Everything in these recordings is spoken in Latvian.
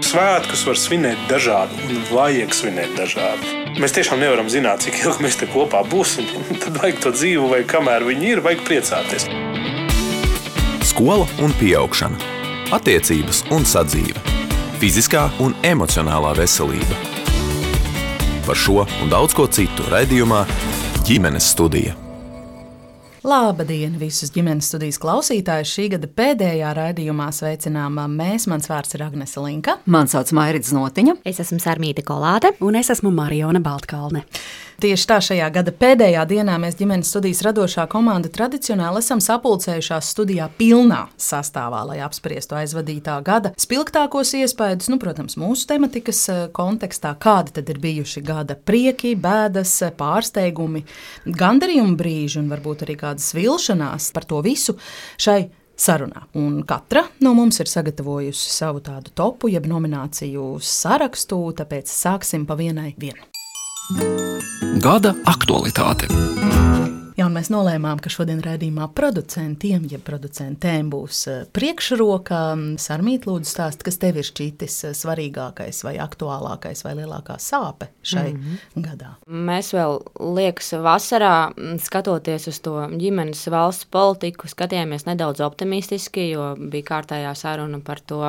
Svētkus var svinēt dažādi un vajag svinēt dažādi. Mēs tiešām nevaram zināt, cik ilgi mēs te kopā būsim. Tad vajag to dzīvu, vai kamēr viņi ir, vajag priecāties. Skola un pieaugšana. Attiecības un sadzīve. Fiziskā un emocionālā veselība. Par šo un daudz ko citu raidījumā Ģimenes studija. Labdien visus ģimenes studijas klausītājus. Šī gada pēdējā raidījumā sveicinām mēs. Mans vārds ir Agnese Linka. Mani sauc Mairita Znotiņa. Es esmu Sarmīte Kolāte. Un es esmu Mariona Baltkalne. Tieši tā šajā gada pēdējā dienā mēs ģimenes studijas radošā komanda tradicionāli esam sapulcējušās studijā pilnā sastāvā, lai apspriestu aizvadītā gada spilgtākos iespaidus, protams, mūsu tematikas kontekstā, kādi tad ir bijuši gada prieki, bēdas, pārsteigumi, gandarījumi brīži un varbūt arī kādas vilšanās. Par to visu šai sarunā. Un katra no mums ir sagatavojusi savu tādu topu, jeb nomināciju sarakstu, tāpēc sāksim pa vienai vienu. Gada aktualitāte. Jā, un mēs nolēmām, ka šodien raidījumā producentiem, ja producentēm būs priekšroka. Sarmīt, lūdzu stāst, kas tev ir šķitis svarīgākais vai aktuālākais vai lielākā sāpe šai gadā? Mēs vēl, liekas, vasarā, skatoties uz to ģimenes valsts politiku, skatījāmies nedaudz optimistiski, jo bija kārtējā saruna par to,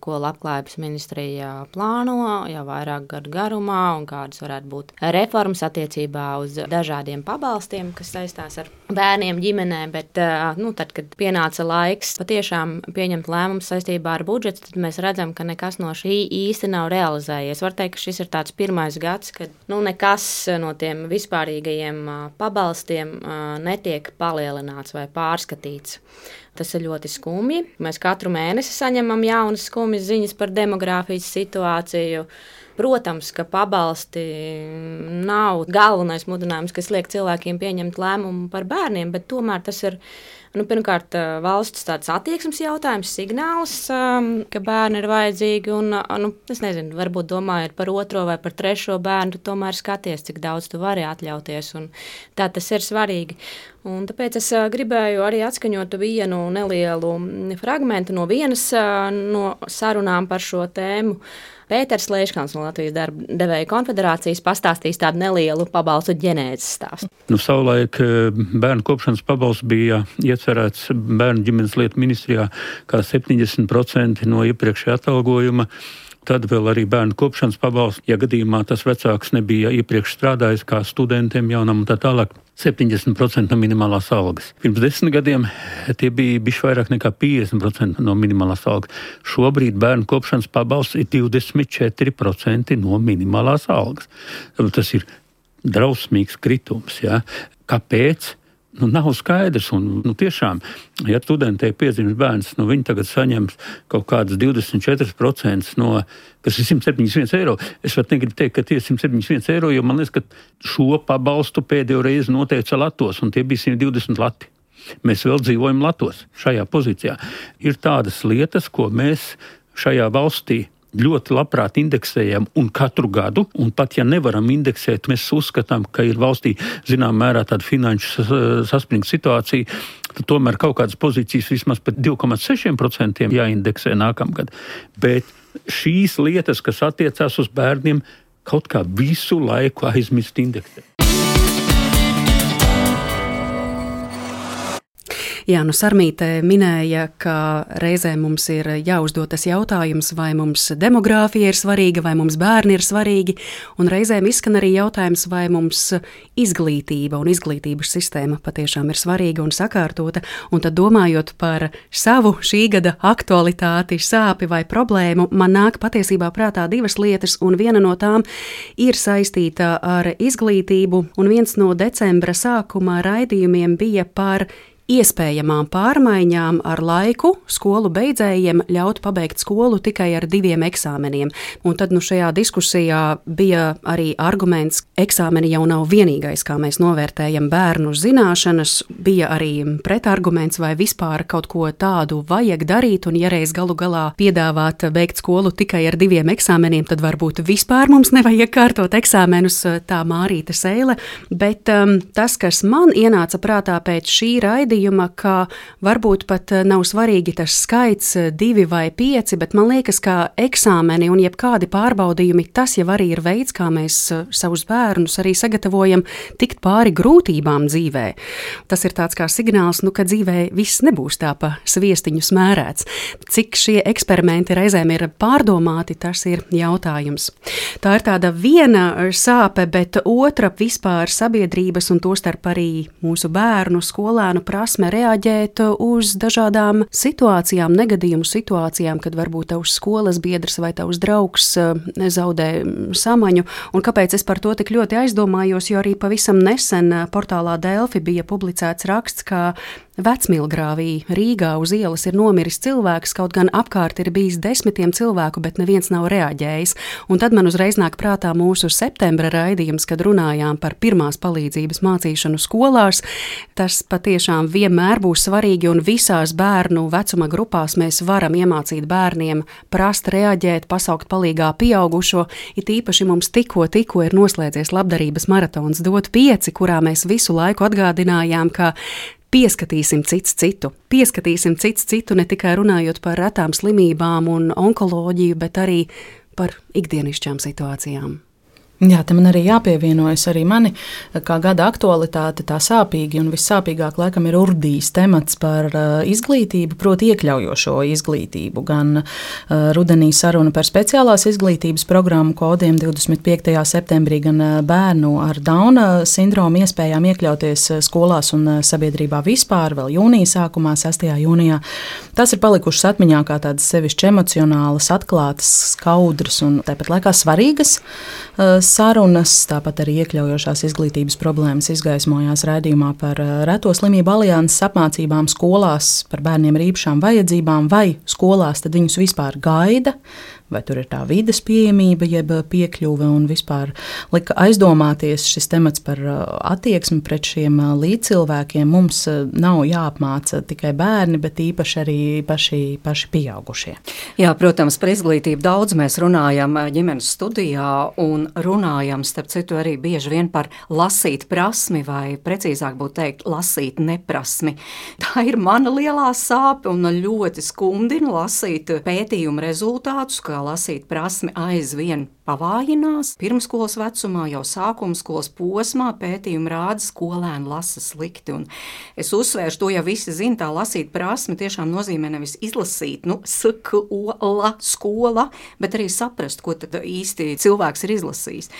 ko Labklājības ministrija plāno jau vairāk gadu garumā un kādas varētu būt reformas attiecībā uz dažādiem pabalstiem, kas saistās ar bērniem, ģimenēm, bet tad, kad pienāca laiks patiešām pieņemt lēmumus saistībā ar budžetu, tad mēs redzam, ka nekas no šī īsti nav realizējies. Var teikt, ka šis ir tāds pirmais gads, kad nekas no tiem vispārīgajiem pabalstiem netiek palielināts vai pārskatīts. Tas ir ļoti skumji. Mēs katru mēnesi saņemam jaunas skumjas ziņas par demogrāfijas situāciju. Protams, ka pabalsti nav galvenais mudinājums, kas liek cilvēkiem pieņemt lēmumu par bērniem, bet tomēr tas ir pirmkārt valsts tāds attieksmes jautājums, signāls, ka bērni ir vajadzīgi. Un, es nezinu, varbūt domājot par otro vai par trešo bērnu, tu tomēr skaties, cik daudz tu vari atļauties. Un tā tas ir svarīgi. Un tāpēc es gribēju arī atskaņot vienu nelielu fragmentu no vienas no sarunām par šo tēmu. Pēters Leiškans no Latvijas darba devēju konfederācijas pastāstīs tādu nelielu pabalstu ģenēzes stāstu. Savulaik bērnu kopšanas pabalsts bija iecerēts bērnu ģimenes lietu ministrijā kā 70% no iepriekšējā atalgojuma. Tad vēl arī bērnu kopšanas pabalsts, ja gadījumā tas vecāks nebija iepriekš strādājis kā studentiem jaunam un tā tālāk. 70% no minimālās algas. Pirms 10 gadiem tie bija bišķi vairāk nekā 50% no minimālās algas. Šobrīd bērnu kopšanas pabalsts ir 24% no minimālās algas. Tas ir drausmīgs kritums. Ja? Kāpēc? Nav skaidrs, un tiešām, ja studentei piedzimst bērns, viņi tagad saņems kaut kādas 24% no, kas ir 171 eiro. Es pat negribu teikt, ka tie ir 171 eiro, jo man liekas, ka šo pabalstu pēdējo reizi noteica Latos, un tie bija 120 lati. Mēs vēl dzīvojam Latos šajā pozīcijā. Ir tādas lietas, ko mēs šajā valstī ļoti labprāt indeksējam un katru gadu, un pat ja nevaram indeksēt, mēs uzskatām, ka ir valstī zinām mērā tāda finanšu saspringta situācija, tad tomēr kaut kādas pozīcijas vismaz pat 2,6% jāindeksē nākamgad. Bet šīs lietas, kas attiecās uz bērniem, kaut kā visu laiku aizmirst indeksēt. Jā, Sarmīte minēja, ka reizē mums ir jāuzdod tas jautājums, vai mums demogrāfija ir svarīga, vai mums bērni ir svarīgi, un reizēm izskan arī jautājums, vai mums izglītība un izglītības sistēma patiešām ir svarīga un sakārtota, un tad domājot par savu šī gada aktualitāti, sāpi vai problēmu, man nāk patiesībā prātā divas lietas, un viena no tām ir saistīta ar izglītību, un viens no decembra sākumā raidījumiem bija par iespējamām pārmaiņām ar laiku skolu beidzējiem ļaut pabeigt skolu tikai ar 2 eksāmeniem. Un tad šajā diskusijā bija arī arguments, eksāmeni jau nav vienīgais, kā mēs novērtējam bērnu zināšanas, bija arī pretarguments, vai vispār kaut ko tādu vajag darīt, un ja reiz galu galā piedāvāt beigt skolu tikai ar 2 eksāmeniem, tad varbūt vispār mums nevajag kārtot eksāmenus, tā Mārīta Seile. Bet tas, kas man ienāca prātā pēc šī raidījuma, raidījuma, ka varbūt pat nav svarīgi tas skaits 2 vai 5, bet man liekas, ka eksāmeni un jebkādi pārbaudījumi, tas jau arī ir veids, kā mēs savus bērnus arī sagatavojam tikt pāri grūtībām dzīvē. Tas ir tāds kā signāls, ka dzīvē viss nebūs tā pa sviestiņu smērēts. Cik šie eksperimenti reizēm ir pārdomāti, tas ir jautājums. Tā ir tāda viena sāpe, bet otra vispār sabiedrības un tostarp arī mūsu bērnu, skolēnu prasme reaģēt uz dažādām situācijām, negadījumu situācijām, kad varbūt tavs skolas biedrs vai tavs draugs zaudē samaņu. Un kāpēc es par to tik ļoti aizdomājos, jo arī pavisam nesen portālā Delfi bija publicēts raksts, ka Vecmilgrāvī Rīgā uz ielas ir nomiris cilvēks, kaut gan apkārt ir bijis 10 cilvēku, bet neviens nav reaģējis. Un tad man uzreiz nāk prātā mūsu septembra raidījums, kad runājām par pirmās palīdzības mācīšanu skolās. Tas patiešām vienmēr būs svarīgi, un visās bērnu vecuma grupās mēs varam iemācīt bērniem prast reaģēt, pasaukt palīgā pieaugušo. It īpaši mums tikko ir noslēdzies labdarības maratons Dot 5, kurā mēs visu laiku atgādinājām, ka pieskatīsim cits citu, ne tikai runājot par retām slimībām un onkoloģiju, bet arī par ikdienišķām situācijām. Jā, te man arī jāpievienojas arī mani, kā gada aktualitāte, tā sāpīgi un vissāpīgāk laikam ir urdījis temats par izglītību, proti iekļaujošo izglītību. Gan rudenī saruna par speciālās izglītības programmu kodiem 25. septembrī, gan bērnu ar Dauna sindromu iespējām iekļauties skolās un sabiedrībā vispār, vēl jūnija sākumā, 6. jūnijā. Tas ir palikušas atmiņā kā tādas sevišķi emocionālas, atklātas, skaudras un tāpat laikā svarīgas sarunas, tāpat arī iekļaujošās izglītības problēmas izgaismojās raidījumā par reto slimību alianses apmācībām skolās par bērniem ar īpašām vajadzībām, vai skolās tad viņus vispār gaida, vai tur ir tā vides pieejamība, jeb piekļuve, un vispār lika aizdomāties šis temats par attieksmi pret šiem līdzcilvēkiem. Mums nav jāapmāca tikai bērni, bet īpaši arī paši pieaugušie. Jā, protams, par izglītību daudz mēs runājam ģimenes studijā un runājam, starp citu, arī bieži vien par lasīt prasmi, vai precīzāk būtu teikt, lasīt neprasmi. Tā ir mana lielā sāpe un ļoti skumdina lasīt pētījumu rezultātus, kā lasīt prasmi aizvien pavājinās. Pirmskolas vecumā, jau sākuma skolas posmā pētījumi rāda, skolēni lasa slikti. Un es uzsvēršu, to jau visi zina, tā lasīt prasmi tiešām nozīmē nevis izlasīt, skola, bet arī saprast, ko tad īsti cilvēks ir izlasījis.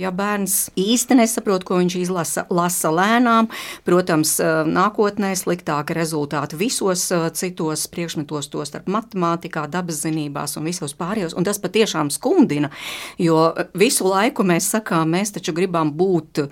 Ja bērns īsti nesaprot, ko viņš izlasa, lasa lēnām, protams, nākotnē sliktāka rezultāti visos citos priekšmetos, to starp matemātikā, dabas zinībās un visos pārējos, un tas patiešām skumdina. Jo visu laiku mēs sakām, mēs taču gribam būt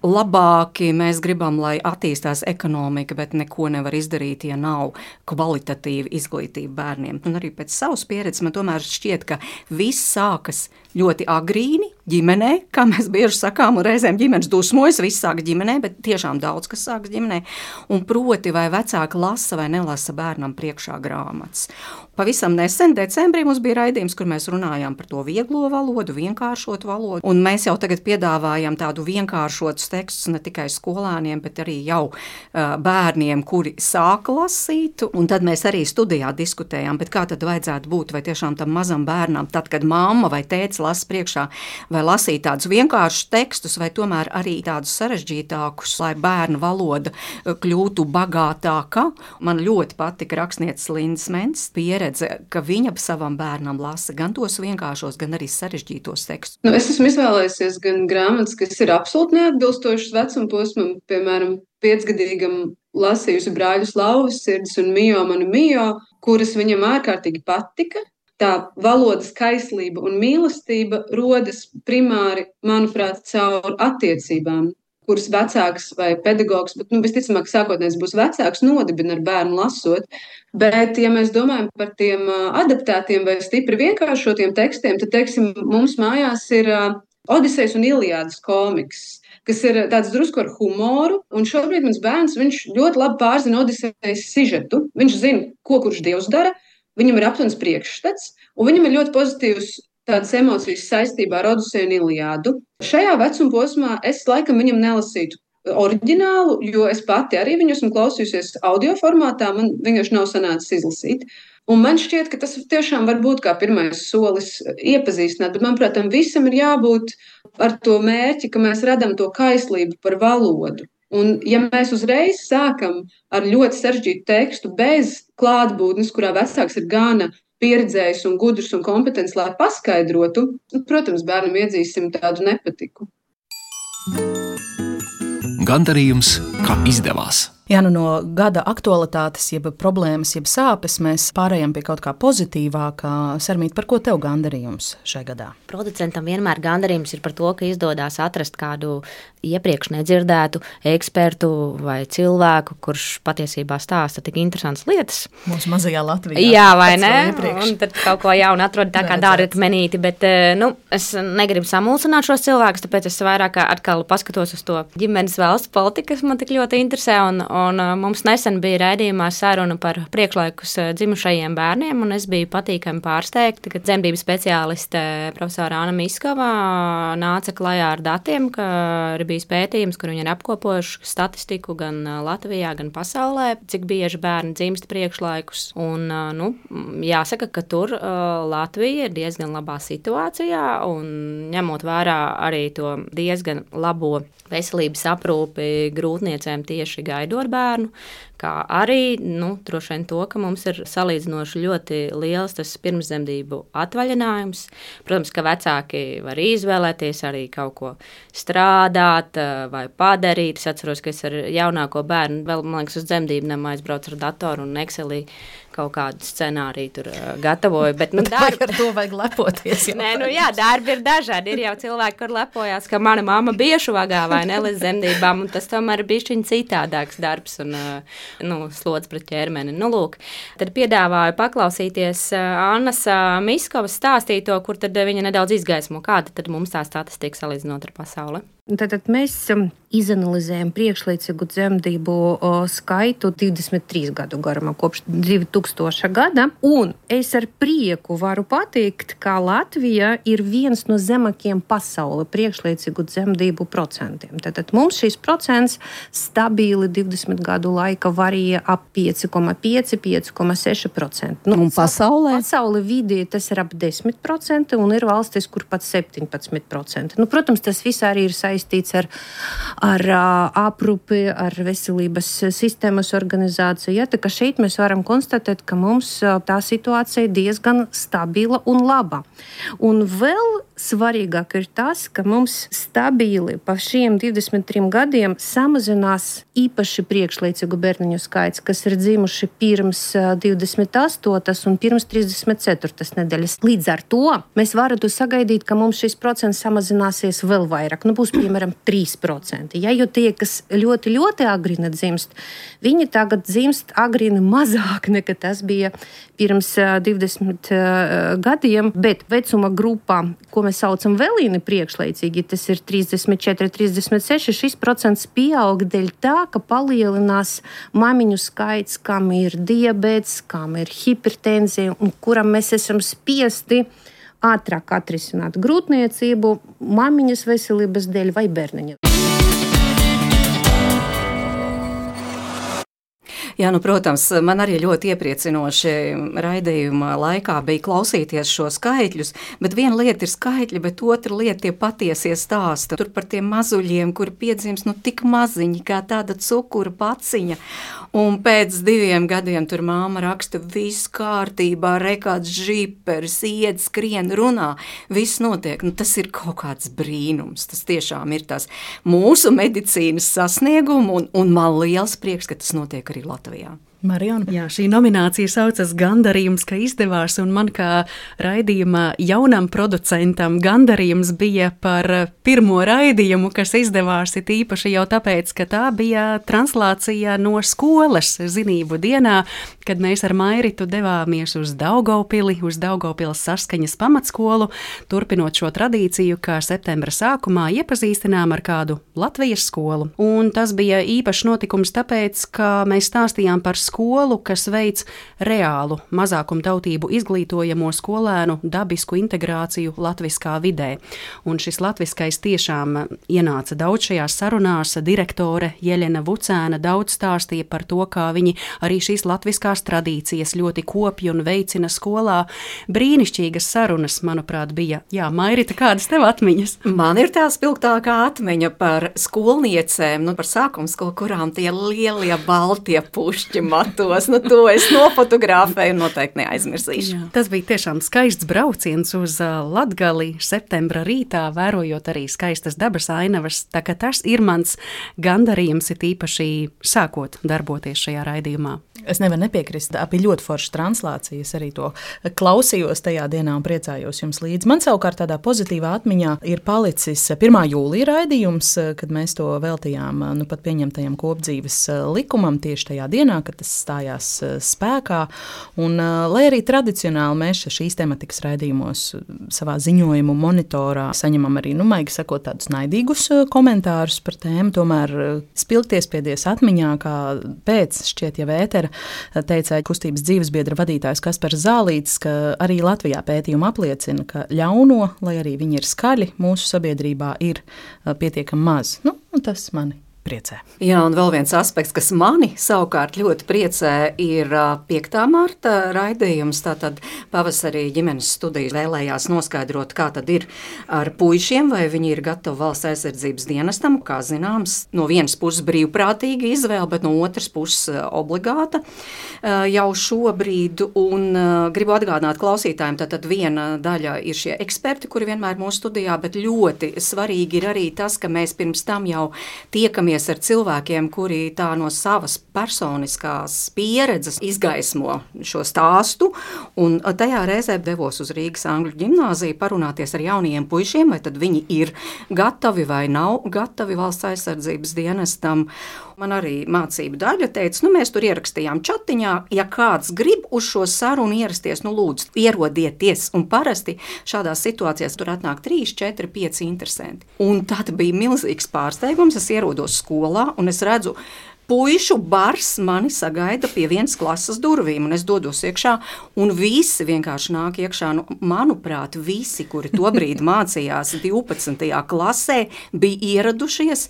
labāki, mēs gribam, lai attīstās ekonomika, bet neko nevar izdarīt, ja nav kvalitatīva izglītība bērniem. Un arī pēc savas pieredzes man tomēr šķiet, ka viss sākas ļoti agrīni ģimenē, kā mēs bieži sakām, un reizēm ģimenes dusmojas, viss sāk ģimenē, bet tiešām daudz kas sāks ģimenē. Un proti, vai vecāki lasa vai nelasa bērnam priekšā grāmatas. Pavisam nesen, decembrī, mums bija raidījums, kur mēs runājām par to vieglo valodu, vienkāršotu valodu, un mēs jau tagad piedāvājam tādu vienkāršotus tekstus ne tikai skolēniem, bet arī jau bērniem, kuri sāk lasīt, un tad mēs arī studijā diskutējām, bet kā tad vajadzētu būt, vai tiešām tam mazam bērnam, tad, kad mamma vai tētis lasa priekšā, vai lasīt tādus vienkāršus tekstus, vai tomēr arī tādus sarežģītākus, lai bērnu valoda kļūtu bagātāka. Man ļoti patika rakstnieces Lindas Mences pieredze, ka viņa savam bērnam lasa gan tos vienkāršos, gan arī sarežģītos tekstus. Es esmu izvēlējusies gan grāmatas, kas ir absolūti neatbilstošas vecuma posmam, piemēram, 5-gadīgam lasījusi Brāļus Lauvas sirds un Mio manu Mio, kuras viņam ārkārtīgi patika. Tā valodas kaislība un mīlestība rodas primāri, manuprāt, caur attiecībām, kuras vecāks vai pedagogs, bet visticamāk sākotnēs būs vecāks, nodibina ar bērnu lasot. Bet, ja mēs domājam par tiem adaptētiem vai stipri vienkāršotiem tekstiem, tad, teiksim, mums mājās ir Odisejas un Iliādas komiks, kas ir tāds drusku ar humoru, un šobrīd mans bērns, viņš ļoti labi pārzina Odisejas sižetu, viņš zina, ko kurš dievs dara, viņam ir aptuvens priekšstats, un viņam ir ļoti pozitīvs tādas emocijas saistībā ar Odiseju un Iliādu. Šajā vecuma posmā es laikam viņam nelasītu oriģinālu, jo es pati arī viņu esmu klausījusies audio formātā, man vienkārši nav sanācis izlasīt. Un man šķiet, ka tas tiešām var būt kā pirmais solis iepazīstināt, bet manuprāt, tam visam ir jābūt ar to mērķi, ka mēs radam to kaislību par valodu. Un ja mēs uzreiz sākam ar ļoti sarežģītu tekstu bez klātbūtnes, kurā vecāks ir gana pieredzējis un gudrs un kompetents, lai paskaidrotu, protams, bērnam iedzīsim tādu nepatiku. Gandarījums, ka izdevās. Jā, no gada aktualitātes, jeb problēmas, jeb sāpes mēs pārējām pie kaut kā pozitīvākā. Sarmīt, par ko tev gandarījums šajā gadā? Producentam vienmēr gandarījums ir par to, ka izdodas atrast kādu iepriekš nedzirdētu ekspertu vai cilvēku, kurš patiesībā stāsta tik interesantas lietas. Mūsu mazajā Latvijā. Jā, vai ne? Un tad kaut ko jaunu atrod tā kā dārga akmenīti, bet es negribu samulsināt šos cilvēkus, tāpēc es vairāk atkal paskatos uz to ģimenes valsts politiku, kas man tik ļoti interesē, un mums nesen bija raidījumā saruna par priekšlaikus dzimušajiem bērniem, un es biju patīkami pārsteigta, ka dzemdību speciāliste profesora Anna Miskava nāca klajā ar datiem, ka ir bijis pētījums, kur viņi ir apkopojuši statistiku gan Latvijā, gan pasaulē, cik bieži bērni dzimst priekšlaikus. Un, jāsaka, ka tur Latvija ir diezgan labā situācijā, un ņemot vērā arī to diezgan labo veselības aprūpi grūtniecēm tieši gaidot bērnu, kā arī droši vien to, ka mums ir salīdzinoši ļoti liels tas pirmsdzemdību atvaļinājums. Protams, ka vecāki var izvēlēties arī kaut ko strādāt vai padarīt. Es atceros, ka es ar jaunāko bērnu vēl, man liekas, uz dzemdībnam aizbraucu ar datoru un Excelī kaut kādu scenāriju tur gatavoju. Bet, ar to vajag lepoties. Darbi ir dažādi. Ir jau cilvēki, kur lepojās, ka mana mamma biešu vagā vai ne līdz dzemdībām, un tas tomēr ir bišķiņ citādāks darbs un slodz pret ķermeni. Lūk, tad piedāvāju paklausīties Annas Miskovas stāstīto, kur tad viņa nedaudz izgaismo, kāda tad mums tā statistika salīdzinot ar pasauli. Tātad mēs izanalizējam priekšlaicīgu dzemdību skaitu 23 gadu garumā, kopš 2000. gada, un es ar prieku varu pateikt, ka Latvija ir viens no zemākajiem pasaulē priekšlaicīgu dzemdību procentiem. Tātad mums šīs procents stabili 20 gadu laika varīja ap 5,5, 5,6%. Un pasaulē? Pasaulē vidēji tas ir ap 10%, un ir valstis, kur pat 17%. Protams, tas viss arī ir saistīts ar aprūpi, ar veselības sistēmas organizāciju. Ja, tā kā šeit mēs varam konstatēt, ka mums tā situācija ir diezgan stabila un laba. Un vēl svarīgāk ir tas, ka mums stabili pa šiem 23 gadiem samazinās īpaši priekšlaicīgu bērniņu skaits, kas ir dzimuši pirms 28. un pirms 34. nedēļas. Līdz ar to mēs varētu sagaidīt, ka mums šis procents samazināsies vēl vairāk. Būs, piemēram, 3%. Ja, jo tie, kas ļoti, ļoti agrīni dzimst, viņi tagad dzimst agrīni mazāk nekā tas bija pirms 20 gadiem, bet vecuma grupā, ko mēs saucam vēlīni priekšlaicīgi, tas ir 34, 36, šis procents pieaug dēļ tā, ka palielinās mamiņu skaits, kam ir diabēts, kam ir hipertenzija un kuram mēs esam spiesti ātrāk atrisināt grūtniecību, mamiņas veselības dēļ vai bērniņa. Jā, protams, man arī ļoti iepriecinoši raidījuma laikā bija klausīties šo skaitļus, bet viena lieta ir skaitļi, bet otra lieta tie patiesie stāsti. Tur par tiem mazuļiem, kuri piedzimst tik maziņi, kā tāda cukura paciņa. Un pēc 2 gadiem tur māma raksta, viss kārtībā, rekāds žiperis, ied, skrien, runā, viss notiek. Tas ir kaut kāds brīnums. Tas tiešām ir tas mūsu medicīnas sasniegums, un man liels prieks, ka tas notiek arī Latvijā. Marijona. Jā, šī nominācija saucas Gandarījums, ka izdevās, un man kā raidījuma jaunam producentam gandarījums bija par pirmo raidījumu, kas izdevās, it īpaši jau tāpēc, ka tā bija translācija no skolas zinību dienā, kad mēs ar Mairitu devāmies uz Daugavpili, uz Daugavpiles Saskaņas pamatskolu, turpinot šo tradīciju, kā septembra sākumā iepazīstinām ar kādu Latvijas skolu. Un tas bija īpašs notikums tāpēc, ka mēs stāstījām par skolu, kas veic reālu mazākumtautību izglītojamo skolēnu dabisku integrāciju latviskā vidē. Un šis latviskais tiešām ienāca daudz šajās sarunās. Direktore Jeļena Vucēna daudz stāstīja par to, kā viņi arī šīs latviskās tradīcijas ļoti kopja un veicina skolā. Brīnišķīgas sarunas, manuprāt, bija. Jā, Mairita, kādas tev atmiņas? Man ir tā spilgtākā atmiņa par skolniecēm, par sākumskolu, kurām tie lielie baltie pušķi matos. To es nofotografēju un noteikti neaizmirsīšu. Jā. Tas bija tiešām skaists brauciens uz Latgali septembra rītā, vērojot arī skaistas dabas ainavas. Tā kā tas ir mans gandarījums, ir īpaši sākot darboties šajā raidījumā. Es nevaru nepiekrist. Bija ļoti foršas translācijas, arī to klausījos tajā dienā un priecājos jums līdzi. Man savukārt tādā pozitīvā atmiņā ir palicis 1. jūlija raidījums, kad mēs to veltījām pat pieņemtajam kopdzīves likumam tieši tajā dienā, kad tas stājās spēkā. Un, lai arī tradicionāli mēs šīs tematikas raidījumos savā ziņojumu monitorā saņemam arī, maigi sakot, tādus naidīgus komentārus par tēmu, tomēr spilgties piedies atmiņā, kā pēc šķiet jau ētera teica kustības dzīvesbiedra vadītājs Kaspars Zālītis, ka arī Latvijā pētījumi apliecina, ka ļauno, lai arī viņi ir skaļi, mūsu sabiedrībā ir pietiekami maz. Tas mani priecē. Jā, un vēl viens aspekts, kas mani savukārt ļoti priecē, ir 5. marta raidījums. Tātad pavasarī ģimenes studijas vēlējās noskaidrot, kā tad ir ar puišiem, vai viņi ir gatavi valsts aizsardzības dienestam. Kā zināms, no vienas puses brīvprātīga izvēle, bet no otras puses obligāta jau šobrīd. Un gribu atgādināt klausītājiem, tātad viena daļa ir šie eksperti, kuri vienmēr mūsu studijā, bet ļoti svarīgi ir arī tas, ka mēs pirms tam jau tiekamies ar cilvēkiem, kuri tā no savas personiskās pieredzes izgaismo šo stāstu, un tajā reizē devos uz Rīgas Angļu ģimnāziju parunāties ar jaunajiem puišiem, vai tad viņi ir gatavi vai nav gatavi valsts aizsardzības dienestam. Man arī mācību daļa teica, mēs tur ierakstījām čatiņā, ja kāds grib uz šo sarunu ierasties, lūdzu, ierodieties, un parasti šādās situācijās tur atnāk 3, 4, 5 interesanti. Un tad bija milzīgs pārsteigums, es ierodos skolā, un es redzu, puišu bars mani sagaida pie vienas klases durvīm, un es dodos iekšā, un visi vienkārši nāk iekšā. Manuprāt, visi, kuri tobrīd mācījās 12. klasē, bija ieradušies.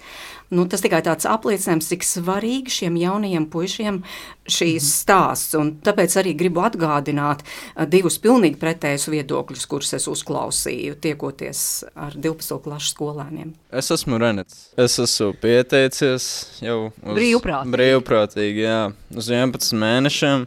Tas tikai tāds apliecinājums, cik svarīgi šiem jaunajiem puišiem šīs stāsts. Un tāpēc arī gribu atgādināt 2 pilnīgi pretējus viedokļus, kurus es uzklausīju, tiekoties ar 12. klases skolēniem. Es esmu Renets. Es esmu pieteicies jau uz brīvprātīgi, jā, uz 11 mēnešiem,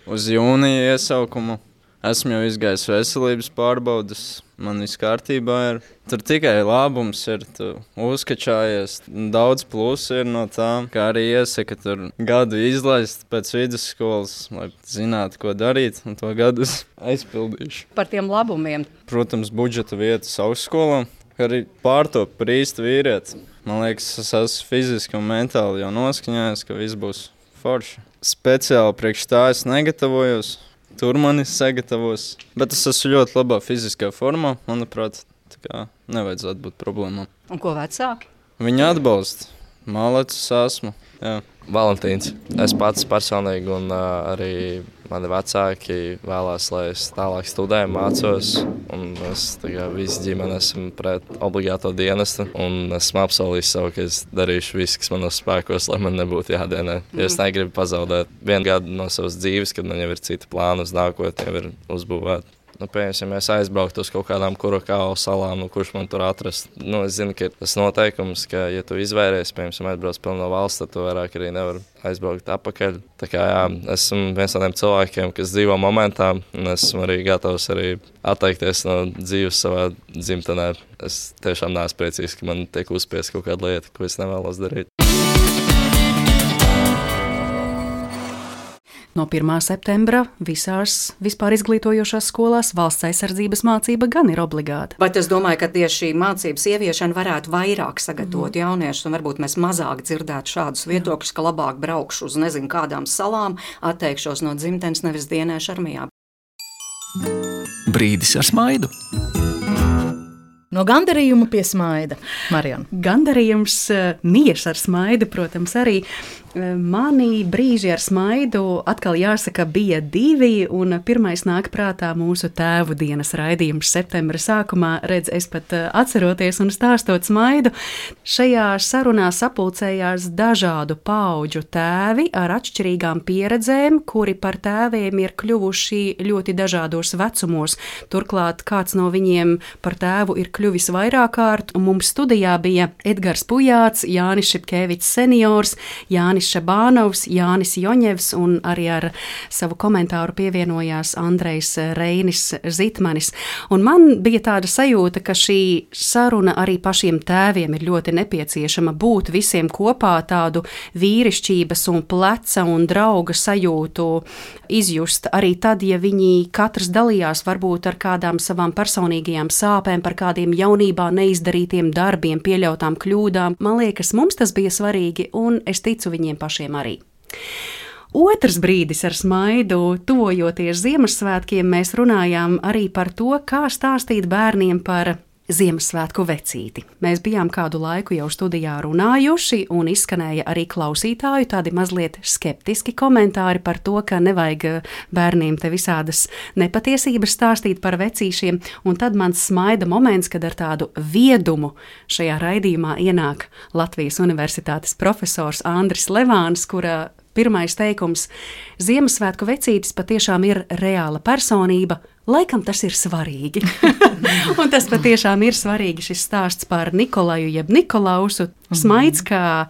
uz jūnija iesaukumu. Esmu jau izgājis veselības pārbaudas, man viss kārtībā ir. Tur tikai labums ir, tu uzkačājies. Daudz plusu ir no tā, kā arī iesaka tur gadu izlaist pēc vidusskolas, lai zinātu, ko darīt, un to gadu aizpildīšu. Par tiem labumiem. Protams, budžeta vietas augstskolā, arī pārtop par īstu vīrieti. Man liekas, es esmu fiziski un mentāli jau noskaņājies, ka viss būs forši. Speciāli priekš tā es negatavojos. Tur mani sagatavos, bet es esmu ļoti labā fiziskā formā, manuprāt, tā kā nevajadzētu būt problēmām. Un ko vecāki? Viņi atbalsta. Mālecis esmu, jā. Valentīns. Es pats personīgi un arī mani vecāki vēlās, lai es tālāk studēju, mācos. Un es visi ģimeni esmu pret obligāto dienestu. Un esmu apsolījis sev, ka es darīšu visu, kas manos spēkos, lai man nebūtu jādienē. Jo es negribu pazaudēt 1 gadu no savas dzīves, kad man jau ir citi plāni uz nākotni, jau ir uzbūvēti. Piemēram, ja mēs aizbrauktu uz kaut kādām Kurokālu salām, kurš man tur atrast. Es zinu, ka ir tas noteikums, ka, ja tu izvēries, piemēram, aizbrauc prom no valsts, tad tu vairāk arī nevar aizbraukt atpakaļ. Tā kā jā, esmu viens no tiem cilvēkiem, kas dzīvo momentā, un esmu arī gatavs arī atteikties no dzīves savā dzimtenē. Es tiešām neesmu priecīgs, ka man tiek uzspiest kaut kāda lieta, ko es nevēlos darīt. No 1. septembra visās vispār izglītojošās skolās valsts aizsardzības mācība gan ir obligāta. Bet es domāju, ka tieši šī mācības ieviešana varētu vairāk sagatavot jauniešus, un varbūt mēs mazāk dzirdētu šādus viedokļus, ka labāk braukšu uz nezinu kādām salām, atteikšos no dzimtenes, nevis dienēšu armijā. Brīdis ar smaidu. No gandarījuma pie smaida, Marijana. Gandarījums, miers ar smaidu, protams, arī. Mani brīži ar smaidu atkal jāsaka bija 2, un pirmais nāk prātā mūsu tēvu dienas raidījums septembra sākumā. Redz, es pat atceroties un stāstot smaidu, šajā sarunā sapulcējās dažādu paudžu tēvi ar atšķirīgām pieredzēm, kuri par tēviem ir kļuvuši ļoti dažādos vecumos. Turklāt kāds no viņiem par tēvu ir kļuvis vairāk kārt, un mums studijā bija Edgars Pujāts, Jānis Šipkevičs seniors, Jānis Šabānovs, Jānis Joņevs, un arī ar savu komentāru pievienojās Andrejs Reinis Zitmanis. Un man bija tāda sajūta, ka šī saruna arī pašiem tēviem ir ļoti nepieciešama, būt visiem kopā, tādu vīrišķības un pleca un drauga sajūtu izjust arī tad, ja viņi katrs dalījās varbūt ar kādām savām personīgajām sāpēm, par kādiem jaunībā neizdarītiem darbiem, pieļautām kļūdām. Man liekas, mums tas bija svarīgi, un es ticu viņiem pašiem arī. Otrs brīdis ar smaidu, tuvojoties Ziemassvētkiem, mēs runājām arī par to, kā stāstīt bērniem par Ziemassvētku vecīti. Mēs bijām kādu laiku jau studijā runājuši, un izskanēja arī klausītāju tādi mazliet skeptiski komentāri par to, ka nevajag bērniem te visādas nepatiesības stāstīt par vecīšiem, un tad mans smaida moments, kad ar tādu viedumu šajā raidījumā ienāk Latvijas Universitātes profesors Andris Levāns, kura pirmais teikums – Ziemassvētku vecītis patiešām ir reāla personība, laikam tas ir svarīgi. Un tas patiešām ir svarīgi, šis stāsts par Nikolaju jeb Nikolausu. Smaids, kā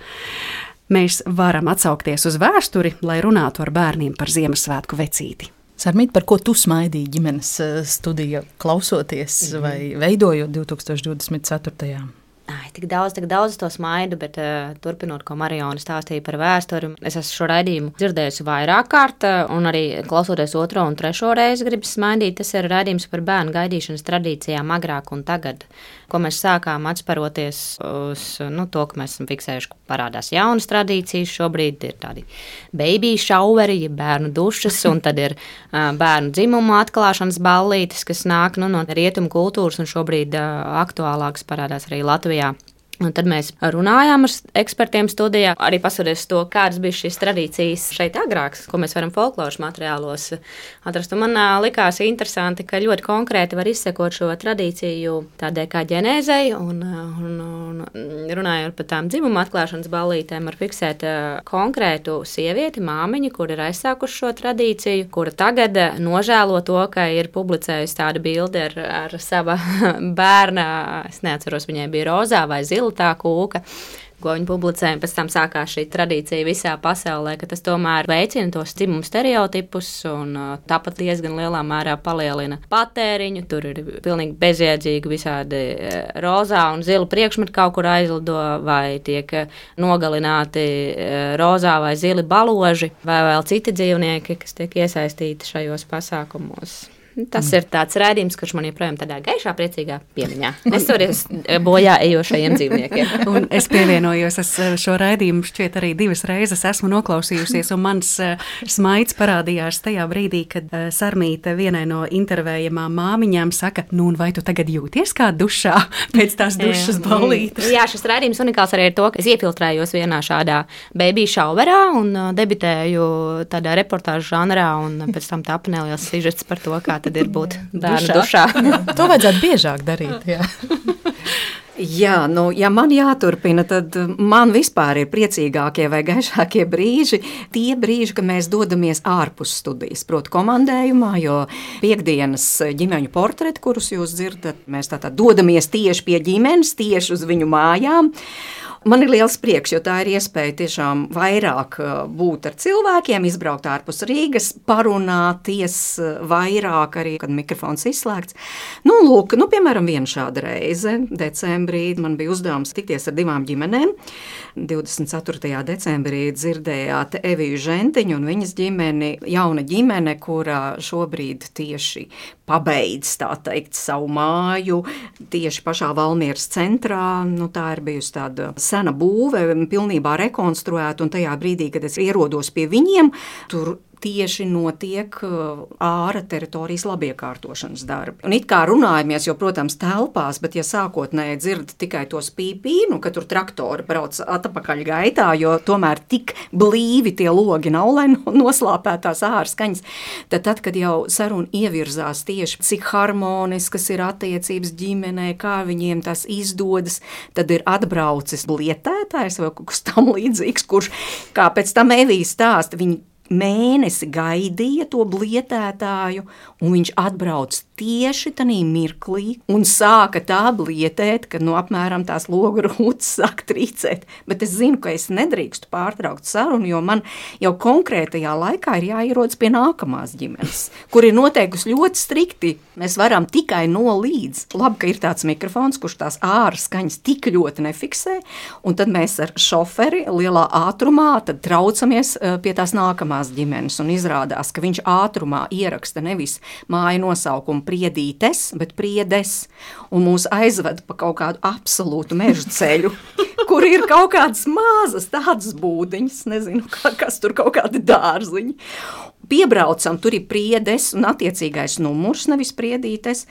mēs varam atsaukties uz vēsturi, lai runātu ar bērniem par Ziemassvētku vecīti. Sarmīt, par ko tu smaidīji ģimenes studija klausoties vai veidojot 2024. Tik daudz to smaidu, bet turpinot, ko Mariona stāstīja par vēsturi, es esmu šo raidījumu dzirdējusi vairāk kārt, un arī klausoties 2. un 3. reizi gribas smaidīt. Tas ir raidījums par bērnu gaidīšanas tradīcijām agrāk un tagad, ko mēs sākām atsparoties uz to, ka mēs esam fiksējuši, ka parādās jaunas tradīcijas. Šobrīd ir tādi baby showeri, ja bērnu dušas, un tad ir bērnu dzimumu atklāšanas ballītes, kas nāk no rietumu kultūras, un šobrīd aktuālākas parādās arī Latvijā. Un tad mēs runājām ar ekspertiem studijā, arī paskatoties to, kādas bija šīs tradīcijas šeit agrāk, ko mēs varam folkloras materiālos atrast. Un man likās interesanti, ka ļoti konkrēti var izsekot šo tradīciju tādai kā ģenēzei, un runājot par tām dzimuma atklāšanas ballītēm, var fiksēt konkrētu sievieti, māmiņu, kur ir aizsākuši šo tradīciju, kura tagad nožēlo to, ka ir publicējusi tādu bildi ar sava bērna, es neatceros, viņai bija rozā vai zila tā kūka, ko viņi publicēja, pēc tam sākās šī tradīcija visā pasaulē, ka tas tomēr veicina tos dzimumu stereotipus un tāpat diezgan lielā mērā palielina patēriņu. Tur ir pilnīgi bezjēdzīgi visādi rozā un zila priekšmeti kaut kur aizlido, vai tiek nogalināti rozā vai zili baloži, vai vēl citi dzīvnieki, kas tiek iesaistīti šajos pasākumos. Tas ir tāds rādījums, kurš man joprojām tādā gaišā, priecīgā piemiņā. Es toreiz bojā ejošajiem dzīvniekiem. Un es pievienojos, es šo raidījumu šķiet arī 2 reizes esmu noklausījusies, un mans smaids parādījās tajā brīdī, kad Sarmīte vienai no intervējamām māmiņām saka, un vai tu tagad jūties kā dušā pēc tās dušas ballītes? Jā, šis raidījums unikāls arī ir to, ka es iefiltrējos vienā šādā baby showerā un debitēju tādā reportāžu žanrā, un pēc tam tapa neliels sižets par to, kā tad ir būt bērnu dušā. To vajadzētu biežāk darīt, jā. Jā, ja man jāturpina, tad man vispār ir priecīgākie vai gaišākie brīži, tie brīži, kad mēs dodamies ārpus studijas, proti komandējumā, jo piekdienas ģimeņu portreti, kurus jūs dzirdat, mēs tātad dodamies tieši pie ģimenes, tieši uz viņu mājām. Man ir liels prieks, jo tā ir iespēja tiešām vairāk būt ar cilvēkiem, izbraukt ārpus Rīgas, parunāties vairāk arī, kad mikrofons izslēgts. Lūk, piemēram, viena šāda reize, decembrī, man bija uzdevums tikties ar 2 ģimenēm. 24. decembrī dzirdējāt Eviju Žentiņu un viņas ģimeni, jauna ģimene, kurā šobrīd tieši pabeidz, tā teikt, savu māju, tieši pašā Valmieras centrā. Tā ir bijusi tāda sena būve, pilnībā rekonstruēta, un tajā brīdī, kad es ierodos pie viņiem, tur tieši notiek āra teritorijas labiekārtošanas darbi. Un it kā runājamies, jo, protams, telpās, bet ja sākotnēji dzird tikai tos pīpīnu, ka tur traktori brauc atpakaļ gaitā, jo tomēr tik blīvi tie logi nav, lai noslāpētās āra skaņas, tad, kad jau saruna ievirzās tieši, cik harmoniskas ir attiecības ģimenē, kā viņiem tas izdodas, tad ir atbraucis blietētājs vai kaut kas tam līdzīgs, kurš, kā pēc tam Evija stāsta, viņi mēnesi gaidīja to blietētāju, un viņš atbrauc tieši tanī mirklī un sāka tā blietēt, ka apmēram tās logu rūtas sāk trīcēt. Bet es zinu, ka es nedrīkstu pārtraukt sarunu, jo man jau konkrētajā laikā ir jāierodas pie nākamās ģimenes, kur ir noteikusi ļoti strikti. Mēs varam tikai no līdz. Labi, ka ir tāds mikrofons, kurš tās āra skaņas tik ļoti nefiksē, un tad mēs ar šoferi lielā ātrumā tad traucamies pie tās nākamās ģimenes, un izrādās, ka viņš ātrumā ieraksta nevis māju nosaukumu Priedītes, bet Priedes, un mūs aizved pa kaut kādu absolūtu mežu ceļu, kur ir kaut kādas mazas tādas būdiņas, nezinu, kas tur kaut kādi dārziņi. Piebraucam, tur ir Priedes un attiecīgais numurs, nevis Priedītes,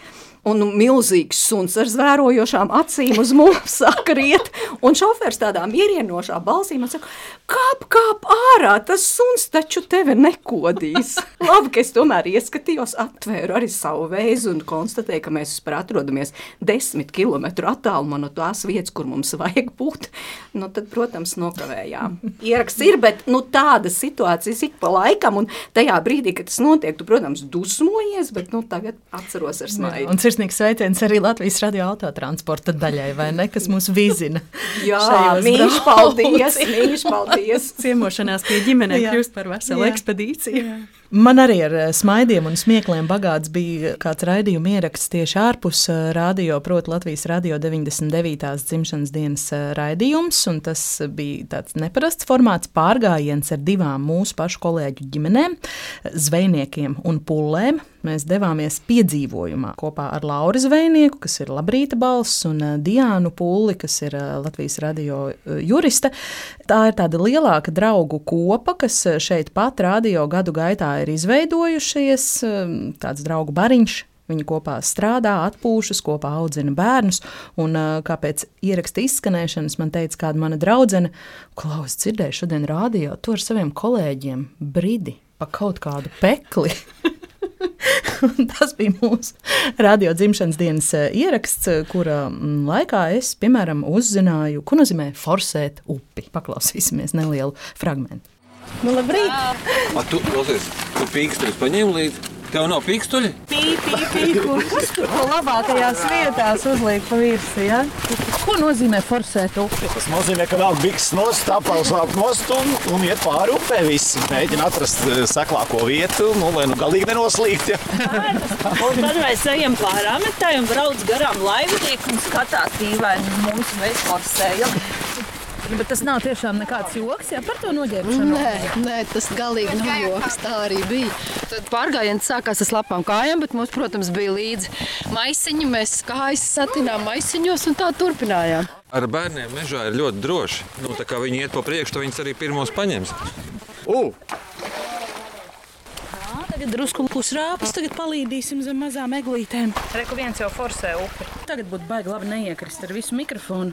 un milzīgs suns ar zvērojošām acīm uz mums saka riet, un šofers tādā mierienošā balsī man saka, kāp ārā, tas suns taču tevi nekodīs. Labi, ka es tomēr ieskatījos, atvēru arī savu vēzi un konstatēju, ka mēs atrodamies 10 kilometru attālumā no tās vietas, kur mums vajag būt. Tad, protams, nokavējām. Ieraksts ir, bet tāda situācija ik pa laikam, un tajā brīdī, kad tas notiek, tu, protams, dusmojies, bet tagad atceros ar smaidu. Un sirsnīgs sveiciens arī Latvijas radio autotransporta daļai, vai ne, kas mūs vizina. Jā, mīļš paldies. Ciemošanās pie ģimenē kļūst par veselu ekspedīciju. Jā. Man arī ar smaidiem un smiekliem bagāts bija kāds raidījuma ieraksts tieši ārpus radio, proti Latvijas radio 99. dzimšanas dienas raidījums, un tas bija tāds neparasts formāts pārgājiens ar 2 mūsu pašu kolēģu ģimenēm, zvejniekiem un pullēm. Mēs devāmies piedzīvojumā kopā ar Lauru Zvejnieku, kas ir Labrīta balss, un Diānu Pulli, kas ir Latvijas radio juriste. Tā ir tāda lielāka draugu kopa, kas šeit pat radio gadu gaitā ir izveidojušies, tāds draugu bariņš. Viņi kopā strādā, atpūšas, kopā audzina bērnus, un kāpēc ieraksta izskanēšanas man teica kāda mana draudzene, Klaus, dzirdēju šodien radio, tu ar saviem kolēģiem bridi pa kaut kādu pekli. Tas bija mūsu radio dzimšanas dienas ieraksts, kura laikā es, piemēram, uzzināju, ko nozīmē forsēt upi. Paklausīsimies nelielu fragmentu. Labrīt! Tu pīkstuļus paņēmi līdzi? Tev nav pīkstuļi? Pīku. Kas tur labākajās vietās uzliek pa virsi, ja? Ko nozīmē forsēt upi? Tas nozīmē, ka vēl bikses nost, apels vēl nost un iet pāri upē visi. Mēģina atrast seklāko vietu, lai galīgi nenoslīgt, ja? Un tad mēs ejam pāri ametai un brauc garām laivnieku un skatās dīvaini mums mēs forsējam. Bet tas nav tiešām nekāds joks, ja par to noģērbšanu? Nē, tas galīgi nav joks, tā arī bija. Tad pārgājiens sākās ar slapām kājām, bet mums, protams, bija līdzi maisiņi. Mēs kājas satinām maisiņos un tā turpinājām. Ar bērniem mežā ir ļoti droši. Tā kā viņi iet pa priekšu, tad viņas arī pirmos paņems. Tagad drusku pusrāpus, tagad palīdīsim zem mazām eglītēm. Reku viens jau forsē upi. Tagad būtu baigi labi neiekrist ar visu mikrofonu.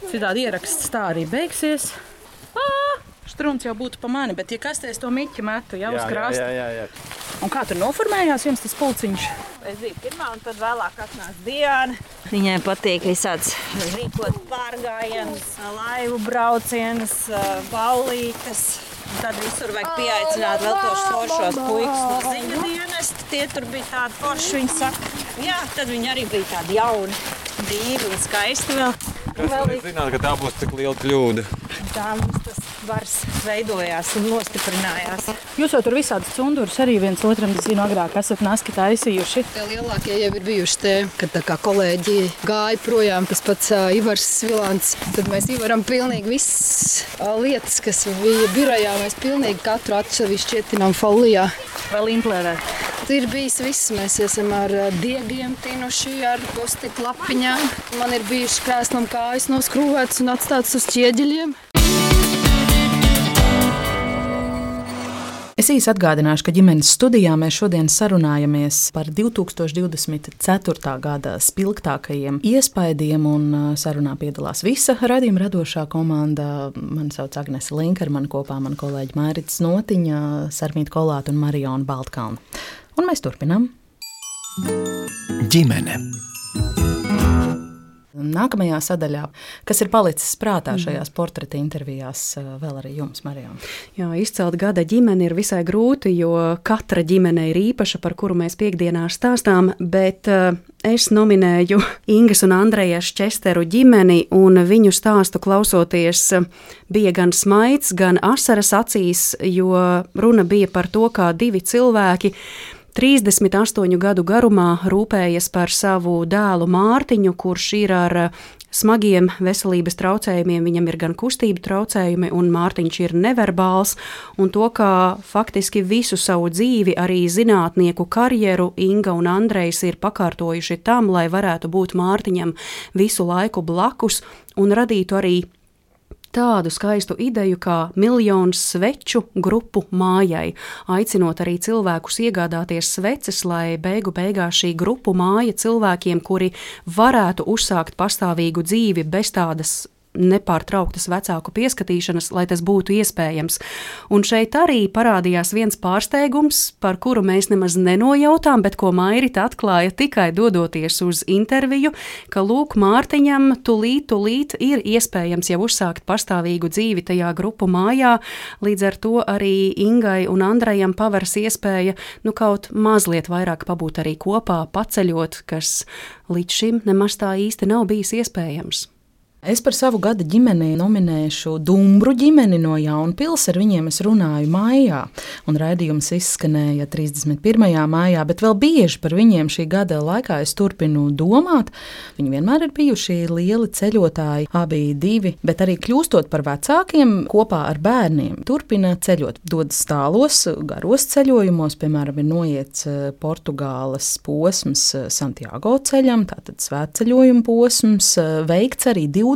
Citādi ieraksts tā arī beigsies. Strunts jau būtu pa mani, bet ja kastēs to miķi metu jau uz krasta. Jā. Un kā tur noformējās jums tas pulciņš? Es biju pirmā un tad vēlāk atnāca Diana. Viņai patīk visāds rīkot pārgājienus, laivu braucienus, ballītes. Un tad visur vajag pieaicināt vēl tos foršos puikas no ziņu dienesta. Tie tur bija tādi forši, viņi saka. Jā, tad viņi arī bija tādi jauni, dīvi un skaisti vēl. Kas arī zināt, ka tā būs tik liela kļūda? Tā mums tas vars veidojās un nostiprinājās. Jūs jau tur visādas cundurus arī viens otram, zinu, agrāk esat naski taisījuši. Tie lielākie jau ir bijuši te, kad tā kā kolēģi gāja projām, tas pats Ivars Svilants. Tad mēs Ivaram pilnīgi visas lietas, kas bija birojā, mēs pilnīgi katru atsevišķi šķietinām folijā. Vēl implērēt? Ir bijis viss. Mēs esam ar diegiem tinuši, ar postikla lapiņām. Man ir bijuši krēslam kājas noskrūvētas un atstātas uz ķieģeļiem. Es īsi atgādināšu, ka ģimenes studijā mēs šodien sarunājamies par 2024. gada spilgtākajiem iespaidiem, un sarunā piedalās visa raidījuma radošā komanda. Mani sauc Agnese Linka, ar mani kopā mani kolēģi Mairits Notiņa, Sarmīta Kolāta un Mariona Baltkalna. Un mēs turpinām. Ģimene. Nākamajā sadaļā, kas ir palicis prātā šajās portreta intervijās, vēl arī jums, Marijona? Jā, izcelt gada ģimeni ir visai grūti, jo katra ģimene ir īpaša, par kuru mēs piekdienās stāstām, bet es nominēju Ingas un Andrejas Česteru ģimeni, un viņu stāstu klausoties bija gan smaids, gan asaras acīs, jo runa bija par to, kā divi cilvēki 38 gadu garumā rūpējas par savu dēlu Mārtiņu, kurš ir ar smagiem veselības traucējumiem. Viņam ir gan kustību traucējumi, un Mārtiņš ir neverbāls, un to, kā faktiski visu savu dzīvi, arī zinātnieku karjeru Inga un Andrejs ir pakārtojuši tam, lai varētu būt Mārtiņam visu laiku blakus un radītu arī tādu skaistu ideju kā miljonu sveču grupu mājai, aicinot arī cilvēkus iegādāties sveces, lai beigās šī grupu māja cilvēkiem, kuri varētu uzsākt pastāvīgu dzīvi bez tādas nepārtrauktas vecāku pieskatīšanas, lai tas būtu iespējams. Un šeit arī parādījās viens pārsteigums, par kuru mēs nemaz nenojautām, bet ko Mairita atklāja tikai dodoties uz interviju, ka lūk, Mārtiņam tūlīt ir iespējams jau uzsākt pastāvīgu dzīvi tajā grupu mājā, līdz ar to arī Ingai un Andrejam paveras iespēja kaut mazliet vairāk pabūt arī kopā, paceļot, kas līdz šim nemaz tā īsti nav bijis iespējams. Es par savu gada ģimeni nominēšu Dumbru ģimeni no Jaunpils. Ar viņiem es runāju maijā, un raidījums izskanēja 31. maijā, bet vēl bieži par viņiem šī gada laikā es turpinu domāt. Viņi vienmēr ir bijuši lieli ceļotāji, abi divi, bet arī kļūstot par vecākiem kopā ar bērniem. Turpina ceļot, dodas tālos, garos ceļojumos, piemēram, ir noiets Portugāles posms Santiago ceļam, tātad svētceļojuma posms, veikts arī 25,000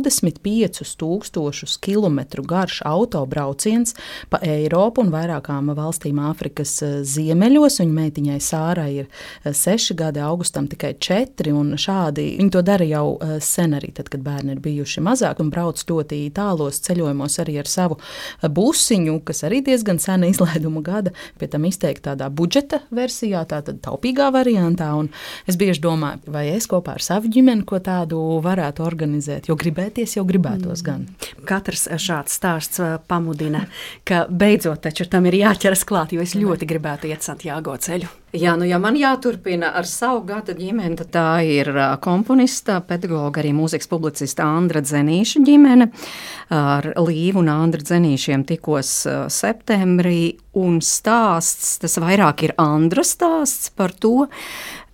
kilometru garš autobrauciens pa Eiropu un vairākām valstīm Āfrikas ziemeļos. Viņa meitiņai Sārai ir 6 gadi, Augustam tikai 4, un šādi viņi to dara jau sen arī, tad, kad bērni ir bijuši mazāk, un brauc ļoti tālos ceļojumos arī ar savu busiņu, kas arī diezgan sena izlaiduma gada, pie tam izteikti tādā budžeta versijā, tātad taupīgā variantā, un es bieži domāju, vai es kopā ar savu ģimeni ko tādu varētu organizēt, jo jau gribētos gan. Katrs šāds stāsts pamudina, ka beidzot taču tam ir jāķeras klāt, jo es ļoti gribētu iet Santiago ceļu. Jā, ja man jāturpina ar savu gada ģimeni, tad tā ir komponista, pedagoga, arī mūzikas publicista Andra Dzenīša ģimene. Ar Līvu un Andra Dzenīšiem tikos septembrī, un stāsts, tas vairāk ir Andra stāsts par to,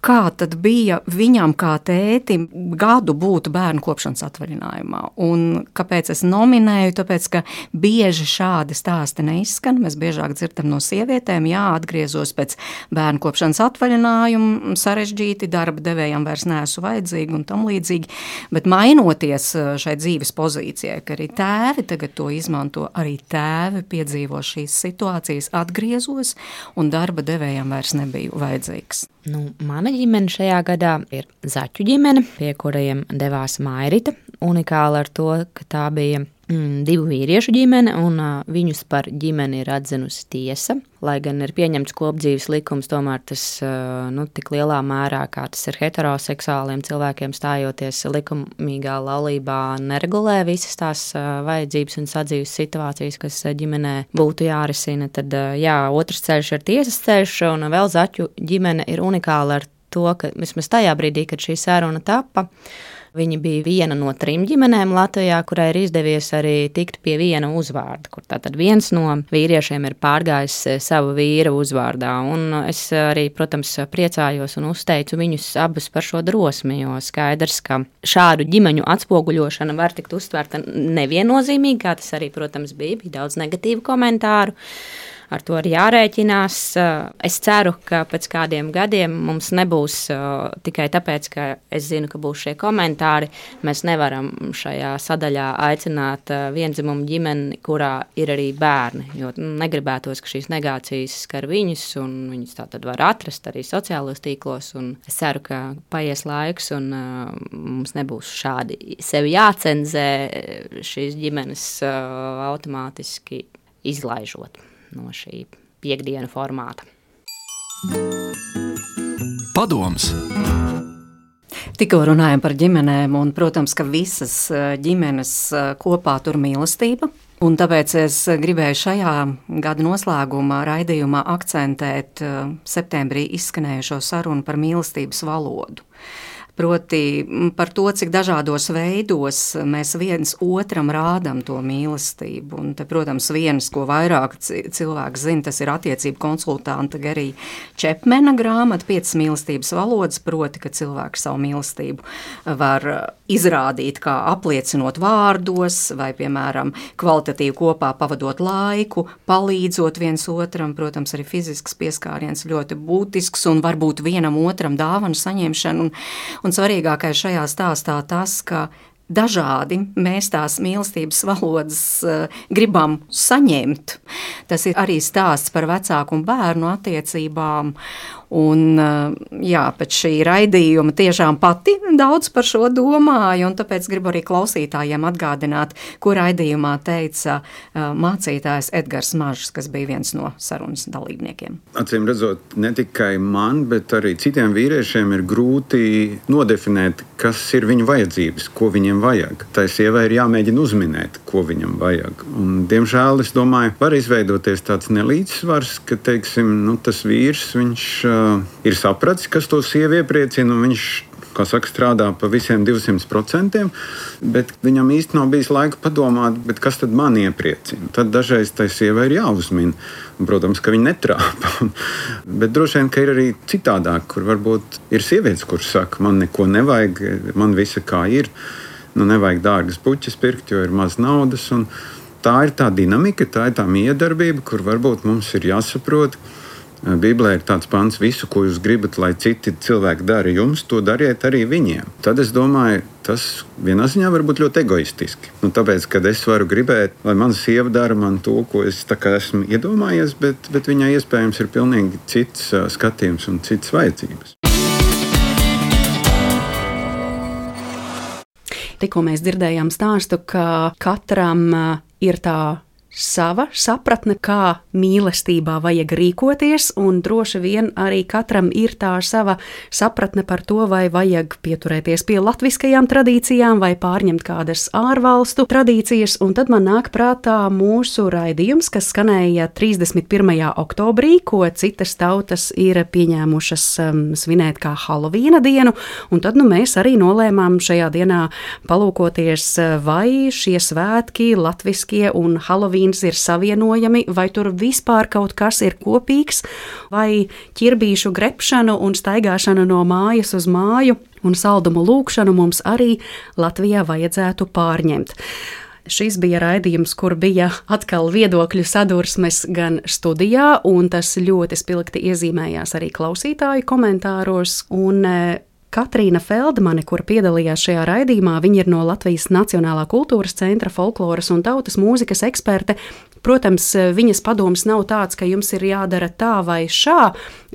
kā tad bija viņam kā tētim gadu būt bērnu kopšanas atvaļinājumā. Un kāpēc es nominēju? Tāpēc, ka bieži šādi stāsti neizskan. Mēs biežāk dzirdam no sievietēm, atgriezos pēc bērnu kopšanas atvaļinājuma, sarežģīti, darba devējam vairs neesmu vajadzīgi un tam līdzīgi. Bet mainoties šai dzīves pozīcijai, ka arī tēvi tagad to izmanto, arī tēvi piedzīvo šīs situācijas, atgriezos un darba devējam vairs nebija vajadzīgs. Mana ģimene šajā gadā ir Zaķu ģimene, pie kuriem devās Mairita. Unikāla ar to, ka tā bija 2 vīriešu ģimene, un viņus par ģimeni ir atzinusi tiesa. Lai gan ir pieņemts kopdzīves likums, tomēr tas tik lielā mērā, kā tas ir heteroseksuāliem cilvēkiem stājoties likumīgā laulībā, neregulē visas tās vajadzības un sadzīves situācijas, kas ģimenē būtu jārisina. Tad otrs ceļš ir tiesas ceļš, un vēl Zaķu ģimene ir unikāla ar to, ka vismaz tajā brīdī, kad šī saruna tapa, viņa bija viena no 3 ģimenēm Latvijā, kurai ir izdevies arī tikt pie viena uzvārda, kur tātad viens no vīriešiem ir pārgājis savu vīra uzvārdā. Un es arī, protams, priecājos un uzteicu viņus abus par šo drosmi, jo skaidrs, ka šādu ģimeņu atspoguļošana var tikt uztvērta neviennozīmīgi, kā tas arī, protams, bija daudz negatīvu komentāru. ar to ir jārēķinās. Es ceru, ka pēc kādiem gadiem mums nebūs tikai tāpēc, ka es zinu, ka būs šie komentāri. Mēs nevaram šajā sadaļā aicināt viendzimumu ģimeni, kurā ir arī bērni, jo negribētos, ka šīs negācijas skar viņus, un viņus tā tad var atrast arī sociālos tīklos, un es ceru, ka paies laiks, un mums nebūs šādi sevi jācenzē šīs ģimenes automātiski izlaižot no šī piekdienu formāta. Padoms. Tikko runājam par ģimenēm, un, protams, ka visas ģimenes kopā tur mīlestība. Un tāpēc es gribēju šajā gada noslēgumā raidījumā akcentēt septembrī izskanējušo sarunu par mīlestības valodu. Proti par to, cik dažādos veidos mēs viens otram rādam to mīlestību. Un te, protams, viens, ko vairāk cilvēks zina, tas ir attiecību konsultanta Gerija Čepmena grāmata 5 mīlestības valodas, proti, ka cilvēks savu mīlestību var izrādīt kā apliecinot vārdos vai, piemēram, kvalitatīvi kopā pavadot laiku, palīdzot viens otram. Protams, arī fizisks pieskāriens ļoti būtisks un varbūt vienam otram dāvanu saņemšanu. Un svarīgākais šajā stāstā tas, ka dažādi mēs tās mīlestības valodas gribam saņemt. Tas ir arī stāsts par vecāku un bērnu attiecībām. Un, jā, pēc šī raidījuma tiešām pati daudz par šo domāju, un tāpēc gribu arī klausītājiem atgādināt, ko raidījumā teica mācītājs Edgars Mažs, kas bija viens no sarunas dalībniekiem. Acīm redzot, ne tikai man, bet arī citiem vīriešiem ir grūti nodefinēt, kas ir viņu vajadzības, ko viņiem vajag. Tai sievai ir jāmēģina uzminēt, ko viņam vajag. Un, diemžēl, es domāju, var izveidoties tāds nelīdzsvars, ka, teiksim, tas vīrs, viņš ir sapratis, kas to sievi iepriecina, un viņš, kā saka, strādā pa visiem 200%, bet viņam īsti nav bijis laika padomāt, bet kas tad man iepriecina. Tad dažreiz tai sievai ir jāuzmina, un, protams, ka viņa netrāpa. Bet droši vien, ka ir arī citādāk, kur varbūt ir sievietes, kuras saka, man neko nevajag, man visa kā ir, nevajag dārgas puķes pirkt, jo ir maz naudas, un tā ir tā dinamika, tā ir tā miedarbība, kur varbūt mums ir jāsaprot. Bībelē ir tāds pants, visu, ko jūs gribat, lai citi cilvēki dara jums, to dariet arī viņiem. Tad es domāju, tas vienā ziņā var būt ļoti egoistiski. Tāpēc, kad es varu gribēt, lai mana sieva dara man to, ko es tā kā esmu iedomājies, bet viņai iespējams ir pilnīgi cits skatījums un citas vajadzības. Tikko mēs dzirdējām stāstu, ka katram ir tā sava sapratne, kā mīlestībā vajag rīkoties, un droši vien arī katram ir tā sava sapratne par to, vai vajag pieturēties pie latviskajām tradīcijām vai pārņemt kādas ārvalstu tradīcijas, un tad man nāk prātā mūsu raidījums, kas skanēja 31. oktobrī, ko citas tautas ir pieņēmušas svinēt kā Halovīna dienu, un tad mēs arī nolēmām šajā dienā palūkoties, vai šie svētki, latviskie un Halovīna ir savienojami, vai tur vispār kaut kas ir kopīgs, vai ķirbīšu grepšanu un staigāšanu no mājas uz māju un saldumu lūkšanu mums arī Latvijā vajadzētu pārņemt. Šis bija raidījums, kur bija atkal viedokļu sadursmes gan studijā, un tas ļoti spilgti iezīmējās arī klausītāju komentāros, un Katrīna Feldmane, kur piedalījās šajā raidījumā, viņa ir no Latvijas Nacionālā kultūras centra folkloras un tautas mūzikas eksperte. Protams, viņas padoms nav tāds, ka jums ir jādara tā vai šā,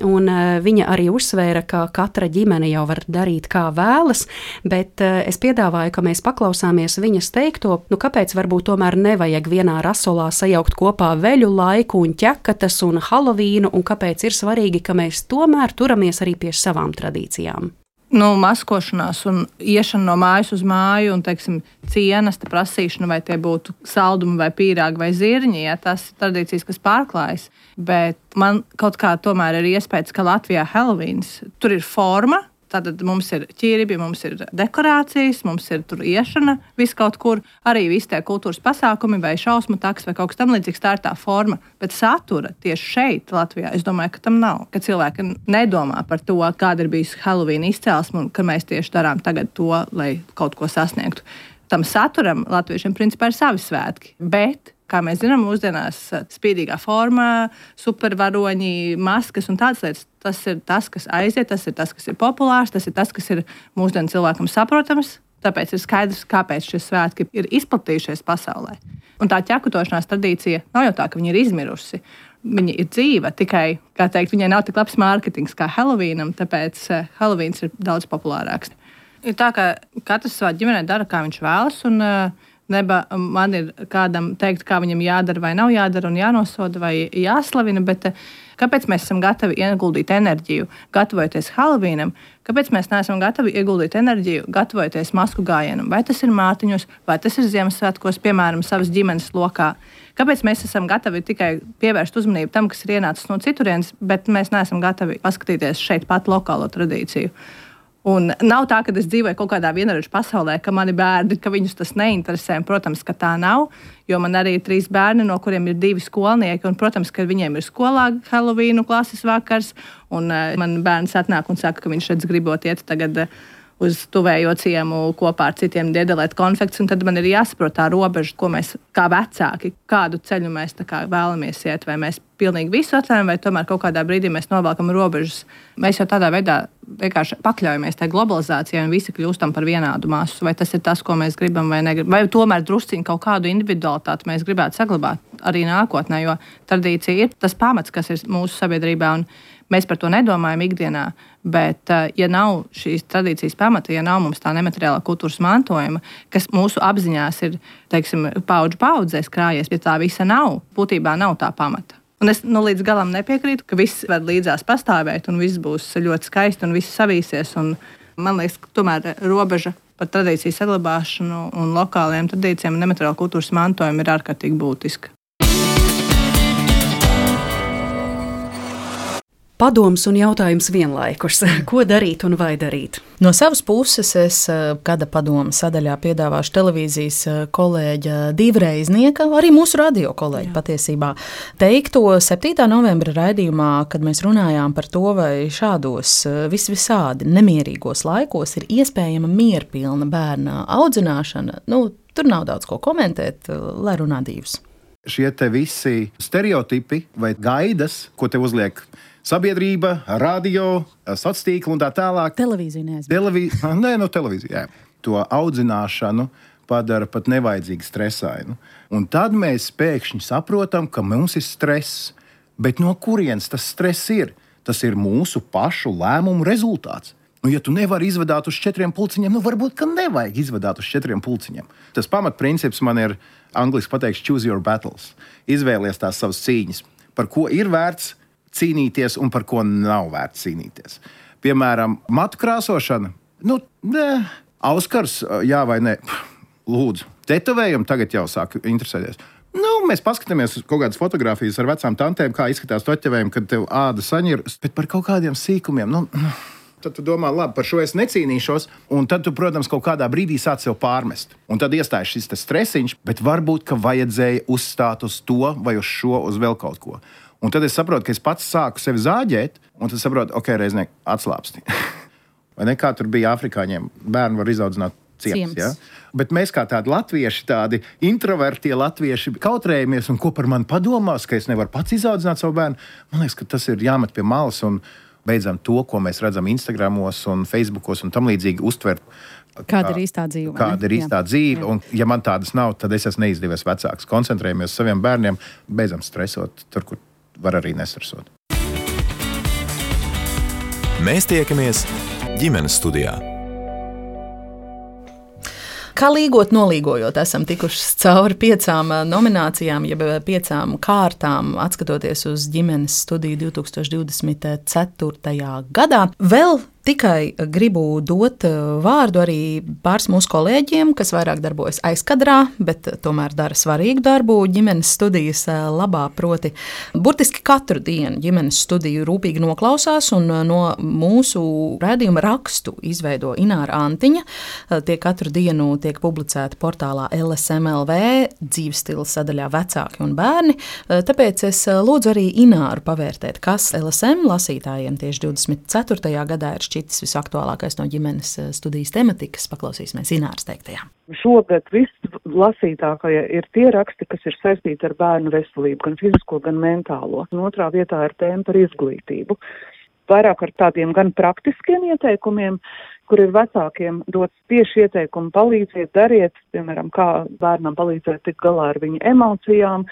un viņa arī uzsvēra, ka katra ģimene jau var darīt kā vēlas, bet es piedāvāju, ka mēs paklausāmies viņas teikto, kāpēc varbūt tomēr nevajag vienā rasolā sajaukt kopā veļu laiku un ķekatas un Halovīnu, un kāpēc ir svarīgi, ka mēs tomēr turamies arī pie savām tradīcijām. Maskošanās un iešana no mājas uz māju un, teiksim, cienesta prasīšana, vai tie būtu saldumi vai pīrāgi vai zirņi, ja tas ir tradīcijas, kas pārklājas. Bet man kaut kā tomēr ir iespējas, ka Latvijā Halovīns, tur ir forma, tātad mums ir ķirbi, mums ir dekorācijas, mums ir tur iešana, viss kaut kur, arī visi tie kultūras pasākumi vai šausmu taks vai kaut kas tam līdzīgs, tā ir tā forma. Bet satura tieši šeit, Latvijā, es domāju, ka tam nav. Ka cilvēki nedomā par to, kāda ir bijusi Halovīna izcelsme un ka mēs tieši darām tagad to, lai kaut ko sasniegtu. Tam saturam latviešiem principā ir savi svētki, bet Kā mēs zinām, mūsdienās spīdīgā formā, supervaroņi, maskas un tādas lietas. Tas ir tas, kas aiziet, tas ir tas, kas ir populārs, tas ir tas, kas ir mūsdienu cilvēkam saprotams. Tāpēc ir skaidrs, kāpēc šie svētki ir izplatījušies pasaulē. Un tā ķekutošanās tradīcija nav jau tā, ka viņa ir izmirusi. Viņa ir dzīva, tikai, kā teikt, viņai nav tik labs mārketings kā Halloweenam, tāpēc Halloweens ir daudz populārāks. Ir tā, ka katrs savā ģimenē dara, kā viņš vēlas, un neba man ir kādam teikt, kā viņam jādara vai nav jādara un jānosoda vai jāslavina, bet kāpēc mēs esam gatavi ieguldīt enerģiju, gatavojoties Halloweenam, kāpēc mēs neesam gatavi ieguldīt enerģiju, gatavojoties masku gājienam, vai tas ir mātiņos, vai tas ir Ziemassvētkos, piemēram, savas ģimenes lokā. Kāpēc mēs esam gatavi tikai pievērst uzmanību tam, kas ir ienācis no citurienes, bet mēs neesam gatavi paskatīties šeit pat lokālo tradīciju. Un nav tā, ka es dzīvoju kaut kādā vienarodžu pasaulē, ka mani bērni, ka viņus tas neinteresē. Protams, ka tā nav, jo man arī ir 3 bērni, no kuriem ir 2 skolnieki. Un, protams, ka viņiem ir skolā Halloweenu klases vakars, un man bērns atnāk un saka, ka viņš redz gribot iet tagad uz tuvējo ciemu kopā ar citiem diedelēt konfekts, un tad man ir jāsaprot tā robeža, ko mēs kā vecāki, kādu ceļu mēs tā kā vēlamies iet, vai mēs pilnīgi visu atvēram, vai tomēr kaut kādā brīdī mēs novelkam robežas. Mēs jau tādā veidā vienkārši pakļaujamies tai globalizācijai un visi kļūstam par vienādu masu, vai tas ir tas, ko mēs gribam vai negribam, vai tomēr drusciņi kaut kādu individualitāti mēs gribētu saglabāt arī nākotnē, jo tradīcija ir tas pamats, kas ir mūsu sabiedrībā, un mēs par to nedomājam ikdienā, bet ja nav šīs tradīcijas pamata, ja nav mums tā nemateriālā kultūras mantojuma, kas mūsu apziņās ir, teiksim, paudžu paudzēs krājies, ja tā visa nav, būtībā nav tā pamata. Un es līdz galam nepiekrītu, ka viss var līdzās pastāvēt un viss būs ļoti skaisti un viss savīsies. Un man liekas, ka tomēr robeža par tradīciju saglabāšanu un lokālajiem tradīcijiem un nemateriālā kultūras mantojumu ir ārkārtīgi būtiska. Padoms un jautājums vienlaikus. Ko darīt un vai darīt? No savas puses es gada padoma sadaļā piedāvāšu televīzijas kolēģa divreiznieka, arī mūsu radio kolēģa patiesībā, teikto 7. novembra raidījumā, kad mēs runājām par to, vai šādos visvisādi nemierīgos laikos ir iespējama mierpilna bērna audzināšana. Tur nav daudz ko komentēt, lai runā divas. Šie te visi stereotipi vai gaidas, ko te uzliek sabiedrība, radio, sociālā tīkla un tā tālāk. Televīzija neaizmirst. Televīzija. To audzināšanu padara pat nevajadzīgi stresainu. Un tad mēs pēkšņi saprotam, ka mums ir stress. Bet no kurienes tas stress ir? Tas ir mūsu pašu lēmumu rezultāts. Ja tu nevari izvadāt uz 4 pulciņiem, varbūt, ka nevajag izvadāt uz 4 pulciņiem. Tas pamatprincips man ir angliski pateikts choose your battles. Izvēlies tās savas cīņas. Par ko ir vērts cīnīties un par ko nav vērts cīnīties. Piemēram, matu krāsošana. Auskars, jā vai nē? Lūdzu, tetovējumi tagad jau sāk interesēties. Mēs paskatāmies uz kaut kādas fotogrāfijas ar vecām tantēm, kā izskatās toķevējumu, kad tev āda saņir, bet par kaut kādiem sīkumiem. Tad tu domā, labi, par šo es necīnīšos, un tad tu, protams, kaut kādā brīdī sāc sev pārmest. Un tad iestājas šis stresiņš, bet varbūt, ka vajadzēja uzstāt uz to vai uz šo, uz vēl kaut ko. Un tad es saprotu, ka es pats sāku sevi zāģēt, un tad saprotu, ok, reiznieki atslāpsti. Vai ne, kā tur bija afrikāņiem, bērni var izaudzināt ciems. Ja? Bet mēs kā tādi latvieši, tādi introvertie latvieši kautrējamies, un ko par mani padomās, ka es nevaru pats izaudzināt savu bērnu. Man liekas, ka tas ir jāmet pie malas un beidzam to, ko mēs redzam Instagramos un Facebookos un tam līdzīgi uztvert. Kāda ir īstā dzīve? Kāda ir īstā dzīve, un ja man tādas nav, tad es esmu neizdevies vecāks. Koncentrējamies uz saviem bērniem, beidzam stresot tur, kur var arī nestresot. Mēs tiekamies ģimenes studijā. Kā līgot, nolīgojot, esam tikuši cauri 5 nominācijām, jeb 5 kārtām, atskatoties uz ģimenes studiju 2024. gadā. Vēl tikai gribu dot vārdu arī pāris mūsu kolēģiem, kas vairāk darbojas aizkadrā, bet tomēr dara svarīgu darbu ģimenes studijas labā. Proti, burtiski katru dienu ģimenes studiju rūpīgi noklausās un no mūsu raidījuma rakstu izveido Ināra Antiņa. Tie katru dienu tiek publicēti portālā LSM.LV, dzīves stila sadaļā vecāki un bērni. Tāpēc es lūdzu arī Ināru pavērtēt, kas LSM lasītājiem tieši 24. gadā ir šķitis visaktuālākais no ģimenes studijas tematikas. Paklausīsimies Ināras teiktajā. Šogad vislasītākie ir tie raksti, kas ir saistīti ar bērnu veselību, gan fizisko, gan mentālo. Un otrā vietā ir tēma par izglītību. Vairāk ar tādiem gan praktiskiem ieteikumiem, kur ir vecākiem dots tieši ieteikumi palīdziet, dariet, piemēram, kā bērnam palīdzēt tikt galā ar viņa emocijām,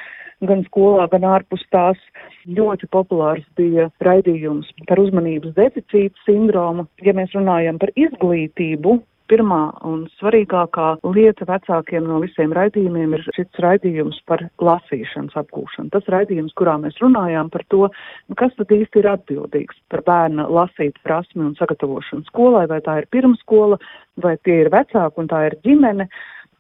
gan skolā, gan ārpus tās. Ļoti populārs bija raidījums par uzmanības deficīta sindromu. Ja mēs runājam par izglītību, pirmā un svarīgākā lieta vecākiem no visiem raidījumiem ir šis raidījums par lasīšanas apgūšanu. Tas raidījums, kurā mēs runājām par to, kas tad īsti ir atbildīgs par bērna lasīt prasmi un sagatavošanu skolai, vai tā ir pirmskola, vai tie ir vecāki un tā ir ģimene.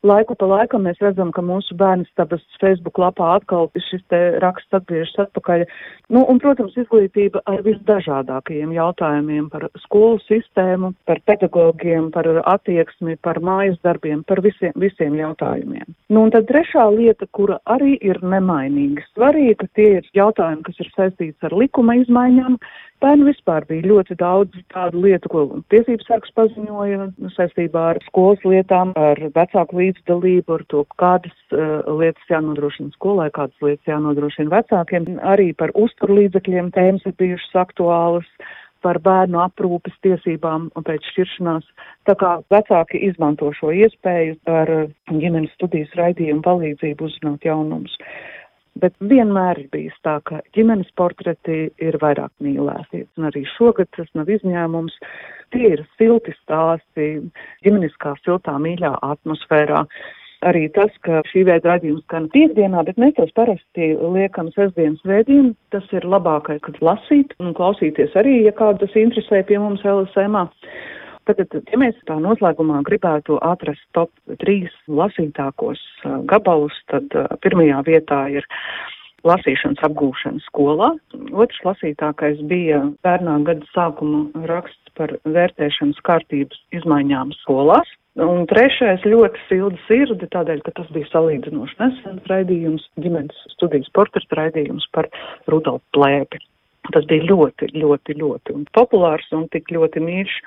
Laiku pa laikam mēs redzam, ka mūsu bērnistabas Facebook lapā atkal šis te raksts atgriežas atpakaļ. Un, protams, izglītība ar visdažādākajiem jautājumiem par skolu sistēmu, par pedagogiem, par attieksmi, par mājas darbiem, par visiem jautājumiem. Un tad trešā lieta, kura arī ir nemainīgi svarīga, tie ir jautājumi, kas ir saistīts ar likuma izmaiņām. Bērnu vispār bija ļoti daudz tādu lietu, ko tiesības sargs paziņoja saistībā ar skolas lietām, ar vecāku līdzdalību, ar to, kādas lietas jānodrošina skolai, kādas lietas jānodrošina vecākiem. Arī par uzturlīdzekļiem tēmas ir bijušas aktuālas, par bērnu aprūpes tiesībām pēc šķiršanās. Tā kā vecāki izmanto šo iespēju ar ģimenes studijas raidījumu palīdzību uzzināt jaunumus. Bet vienmēr ir bijis tā, ka ģimenes portreti ir vairāk mīlēti. Un arī šogad tas nav izņēmums. Tie ir silti stāsti, ģimeniskā siltā mīļā atmosfērā. Arī tas, ka šī veida raidījums skan piekdienā, bet mēs tos parasti liekam sestdienas vēdien. Tas ir labākais, kad lasīt un klausīties arī, ja kādu tas interesē pie mums LSM-ā. Tad, ja mēs tā noslēgumā gribētu atrast top 3 lasītākos gabalus, tad pirmajā vietā ir lasīšanas apgūšana skolā. Otrs lasītākais bija pērnā gada sākuma raksts par vērtēšanas kārtības izmaiņām skolās. Un trešais ļoti silda sirdi, tādēļ, ka tas bija salīdzinoši nesens raidījums, ģimenes studijas portreta raidījums par Rudolfu Plēpi. Tas bija ļoti, ļoti, ļoti populārs un tik ļoti mīļš.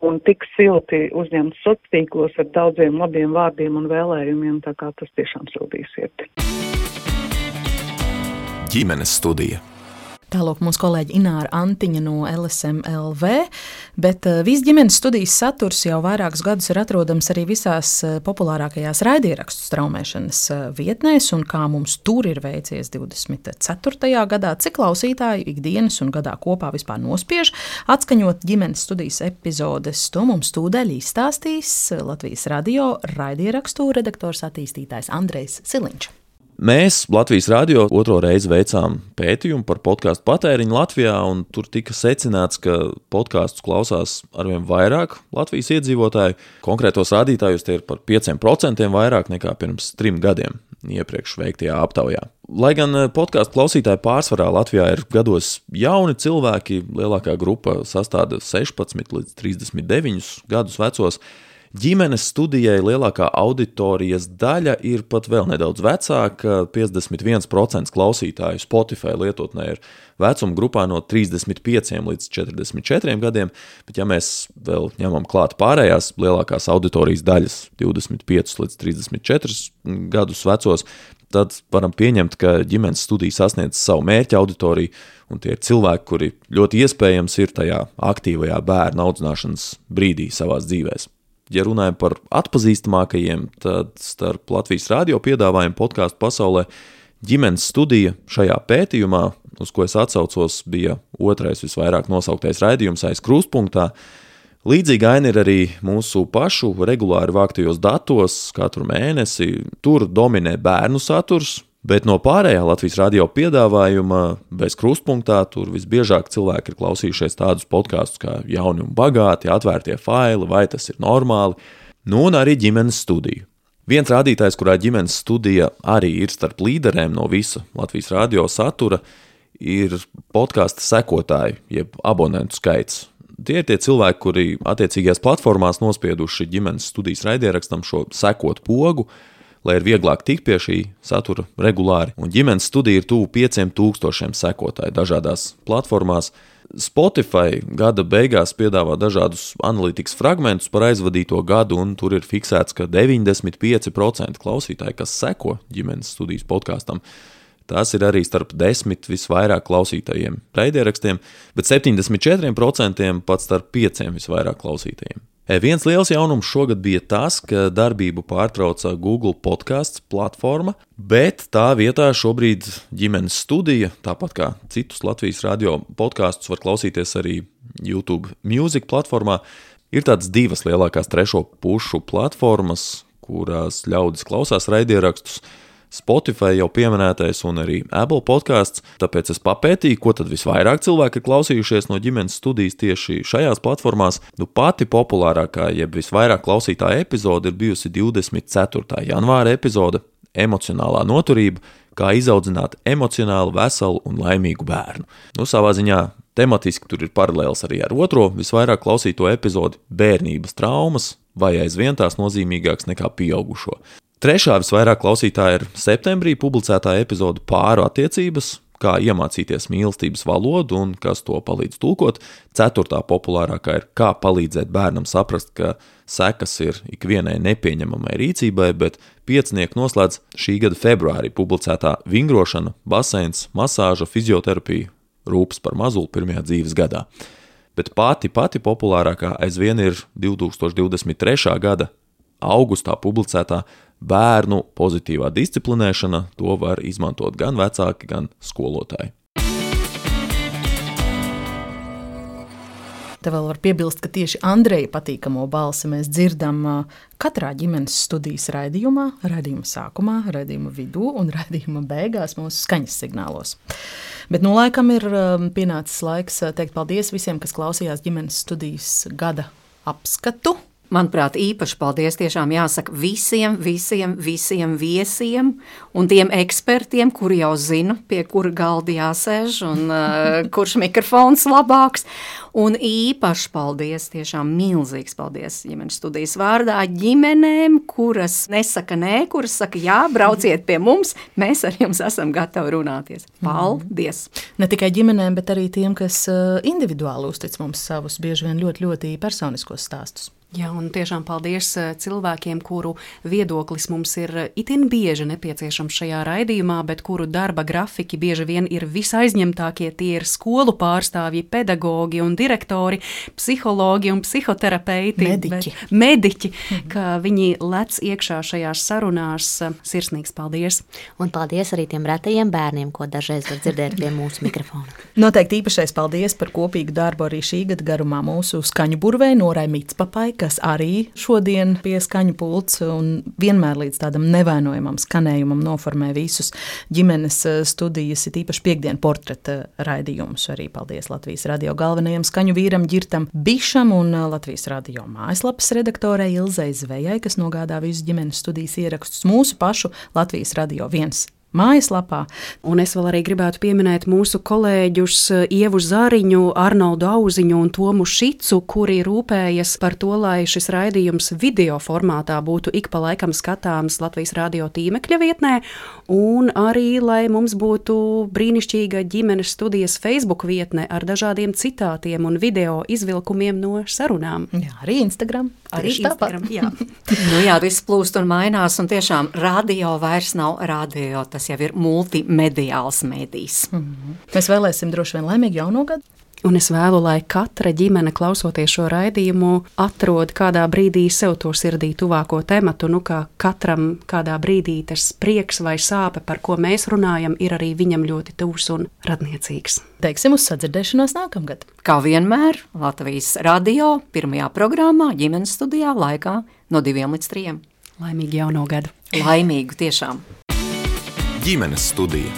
Un tik silti uzņemts sociālos tīklos ar daudziem labiem vārdiem un vēlējumiem, tā kā tas tiešām sildīja sirdi. Ģimenes studija. Tālāk mūsu kolēģi Ināra Antiņa no LSM LV, bet viss ģimenes studijas saturs jau vairākus gadus ir atrodams arī visās populārākajās raidierakstu straumēšanas vietnēs, un kā mums tur ir veicies 24. gadā, cik klausītāji ikdienas un gadā kopā vispār nospiež atskaņot ģimenes studijas epizodes, to mums tūdaļ izstāstīs Latvijas radio raidierakstu redaktors attīstītājs Andrejs Siliņš. Mēs Latvijas radio otro reizi veicām pētījumu par podkāstu patēriņu Latvijā, un tur tika secināts, ka podkāstus klausās arvien vairāk Latvijas iedzīvotāju. Konkrētos rādītājos tie ir par 5% vairāk nekā pirms 3 gadiem iepriekš veiktajā aptaujā. Lai gan podkāstu klausītāji pārsvarā Latvijā ir gados jauni cilvēki, lielākā grupa sastāda 16 līdz 39 gadus vecos, ģimenes studijai lielākā auditorijas daļa ir pat vēl nedaudz vecāka. 51% klausītāju Spotify lietotnē ir vecuma grupā no 35 līdz 44 gadiem, bet ja mēs vēl ņemam klāt pārējās lielākās auditorijas daļas 25 līdz 34 gadus vecos, tad varam pieņemt, ka ģimenes studija sasniedz savu mērķa auditoriju, un tie ir cilvēki, kuri ļoti iespējams ir tajā aktīvajā bērna audzināšanas brīdī savās dzīvēs. Ja runājam par atpazīstamākajiem, tad starp Latvijas radio piedāvājumu podkāstu pasaulē ģimenes studija šajā pētījumā, uz ko es atsaucos, bija otrais visvairāk nosauktais raidījums aiz krustpunktā. Līdzīga aina ir arī mūsu pašu regulāri vāktajos datos katru mēnesi. Tur dominē bērnu saturs, bet no pārējā Latvijas radio piedāvājuma bez krustpunktā tur visbiežāk cilvēki ir klausījušies tādus podkastus kā Jauni un bagāti, Atvērtie faili, Vai tas ir normāli, un arī ģimenes studiju. Viens rādītājs, kurā ģimenes studija arī ir starp līderēm no visa Latvijas radio satura, ir podkasta sekotāju, jeb abonentu skaits. Tie ir tie cilvēki, kuri attiecīgajās platformās nospieduši ģimenes studijas raidierakstam šo sekot pogu, lai ir vieglāk tikt pie šī satura regulāri. Un ģimenes studija ir tuvu 5000 sekotāju dažādās platformās. Spotify gada beigās piedāvā dažādus analītikas fragmentus par aizvadīto gadu, un tur ir fiksēts, ka 95% klausītāji, kas seko ģimenes studijas podkastam, tās ir arī starp 10 visvairāk klausītajiem raidierakstiem, bet 74% pat starp 5 visvairāk klausītajiem. Viens liels jaunums šogad bija tas, ka darbību pārtrauca Google podcasts platforma, bet tā vietā šobrīd ģimenes studija, tāpat kā citus Latvijas radio podkastus var klausīties arī YouTube Music platformā, ir tādas 2 lielākās trešo pušu platformas, kurās ļaudis klausās raidierakstus. Spotify jau pieminētais un arī Apple podcasts, tāpēc es papētīju, ko tad visvairāk cilvēki ir klausījušies no ģimenes studijas tieši šajās platformās. Pati populārākā, jeb visvairāk klausītā epizode ir bijusi 24. janvāra epizode Emocionālā noturība, kā izaudzināt emocionāli veselu un laimīgu bērnu. Savā ziņā tematiski tur ir paralēls arī ar otro visvairāk klausīto epizodi Bērnības traumas, vai aizvien tās nozīmīgāks nekā pieaugušo. Trešā visvairāk klausītāja ir septembrī publicētā epizode Pāru attiecības, kā iemācīties mīlestības valodu un kas to palīdz tulkot. 4. populārākā ir kā palīdzēt bērnam saprast, ka sekas ir ikvienai nepieņemamai rīcībai, bet 5 noslēdz šī gada februārī publicētā Vingrošana, baseins, masāža, fizioterapija, rūpes par mazuli pirmajā dzīves gadā. Bet pati populārākā aizvien ir 2023. gada augustā publicētā Bērnu pozitīvā disciplinēšana. To var izmantot gan vecāki, gan skolotāji. Te vēl var piebilst, ka tieši Andreja patīkamo balsi mēs dzirdam katrā ģimenes studijas raidījumā, raidījuma sākumā, raidījuma vidū un raidījuma beigās mūsu skaņas signālos. Bet laikam ir pienācis laiks teikt paldies visiem, kas klausījās ģimenes studijas gada apskatu. Manuprāt, īpaši paldies tiešām jāsaka visiem viesiem un tiem ekspertiem, kuri jau zina, pie kura galda jāsēž un kurš mikrofons labāks. Un īpaši paldies, tiešām milzīgs paldies ģimenes studijas vārdā ģimenēm, kuras nesaka nē, kuras saka jā, brauciet pie mums, mēs ar jums esam gatavi runāties. Paldies! Ne tikai ģimenēm, bet arī tiem, kas individuāli uztic mums savus bieži vien ļoti personiskos stāstus. Jā, un tiešām paldies cilvēkiem, kuru viedoklis mums ir itin bieži nepieciešams šajā raidījumā, bet kuru darba grafiki bieži vien ir visaizņemtākie. Tie ir skolu pārstāvji, pedagogi un direktori, psihologi un psihoterapeiti. Mediķi, ka viņi lec iekšā šajās sarunās. Sirsnīgs paldies. Un paldies arī tiem retajiem bērniem, ko dažreiz var dzirdēt pie mūsu mikrofona. Noteikti īpašais paldies par kopīgu darbu arī šī gada garumā mūsu skaņu burvei Norai Micpapai, kas arī šodien pie skaņu pults un vienmēr līdz tādam nevainojamam skanējumam noformē visus ģimenes studijas, ir īpaši piekdienu portreta raidījumus. Arī paldies Latvijas radio galvenajam skaņu vīram Ģirtam Bišam un Latvijas radio mājaslapas redaktorei Ilzei Zvejai, kas nogādā visus ģimenes studijas ierakstus mūsu pašu Latvijas radio 1 mājaslapā. Un es vēl arī gribētu pieminēt mūsu kolēģus Ievu Zariņu, Arnoldu Auziņu un Tomu Šicu, kuri rūpējas par to, lai šis raidījums video formātā būtu ik pa laikam skatāms Latvijas radio tīmekļa vietnē, un arī, lai mums būtu brīnišķīga ģimenes studijas Facebook vietne ar dažādiem citātiem un video izvilkumiem no sarunām. Jā, arī Instagram. Arī Instagram, jā. Jā, viss plūst un mainās, un tiešām radio vairs nav radio, tas jau ir multimediāls mēdījis. Mēs vēlēsim droši vien laimīgu jauno gadu. Un es vēlu, lai katra ģimene, klausoties šo raidījumu, atrod kādā brīdī sev to sirdī tuvāko tematu, kā katram kādā brīdī tas prieks vai sāpe, par ko mēs runājam, ir arī viņam ļoti tuvs un radniecīgs. Teiksim uz sadzirdēšanos nākamgad. Kā vienmēr, Latvijas radio pirmajā programmā ģimenes studijā laikā no 2 līdz 3. Laimīgu jauno gadu. Laimīgu tiešām. Ģimenes studija.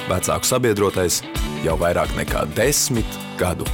Vecāku sabiedrotais jau vairāk nekā 10 gadu.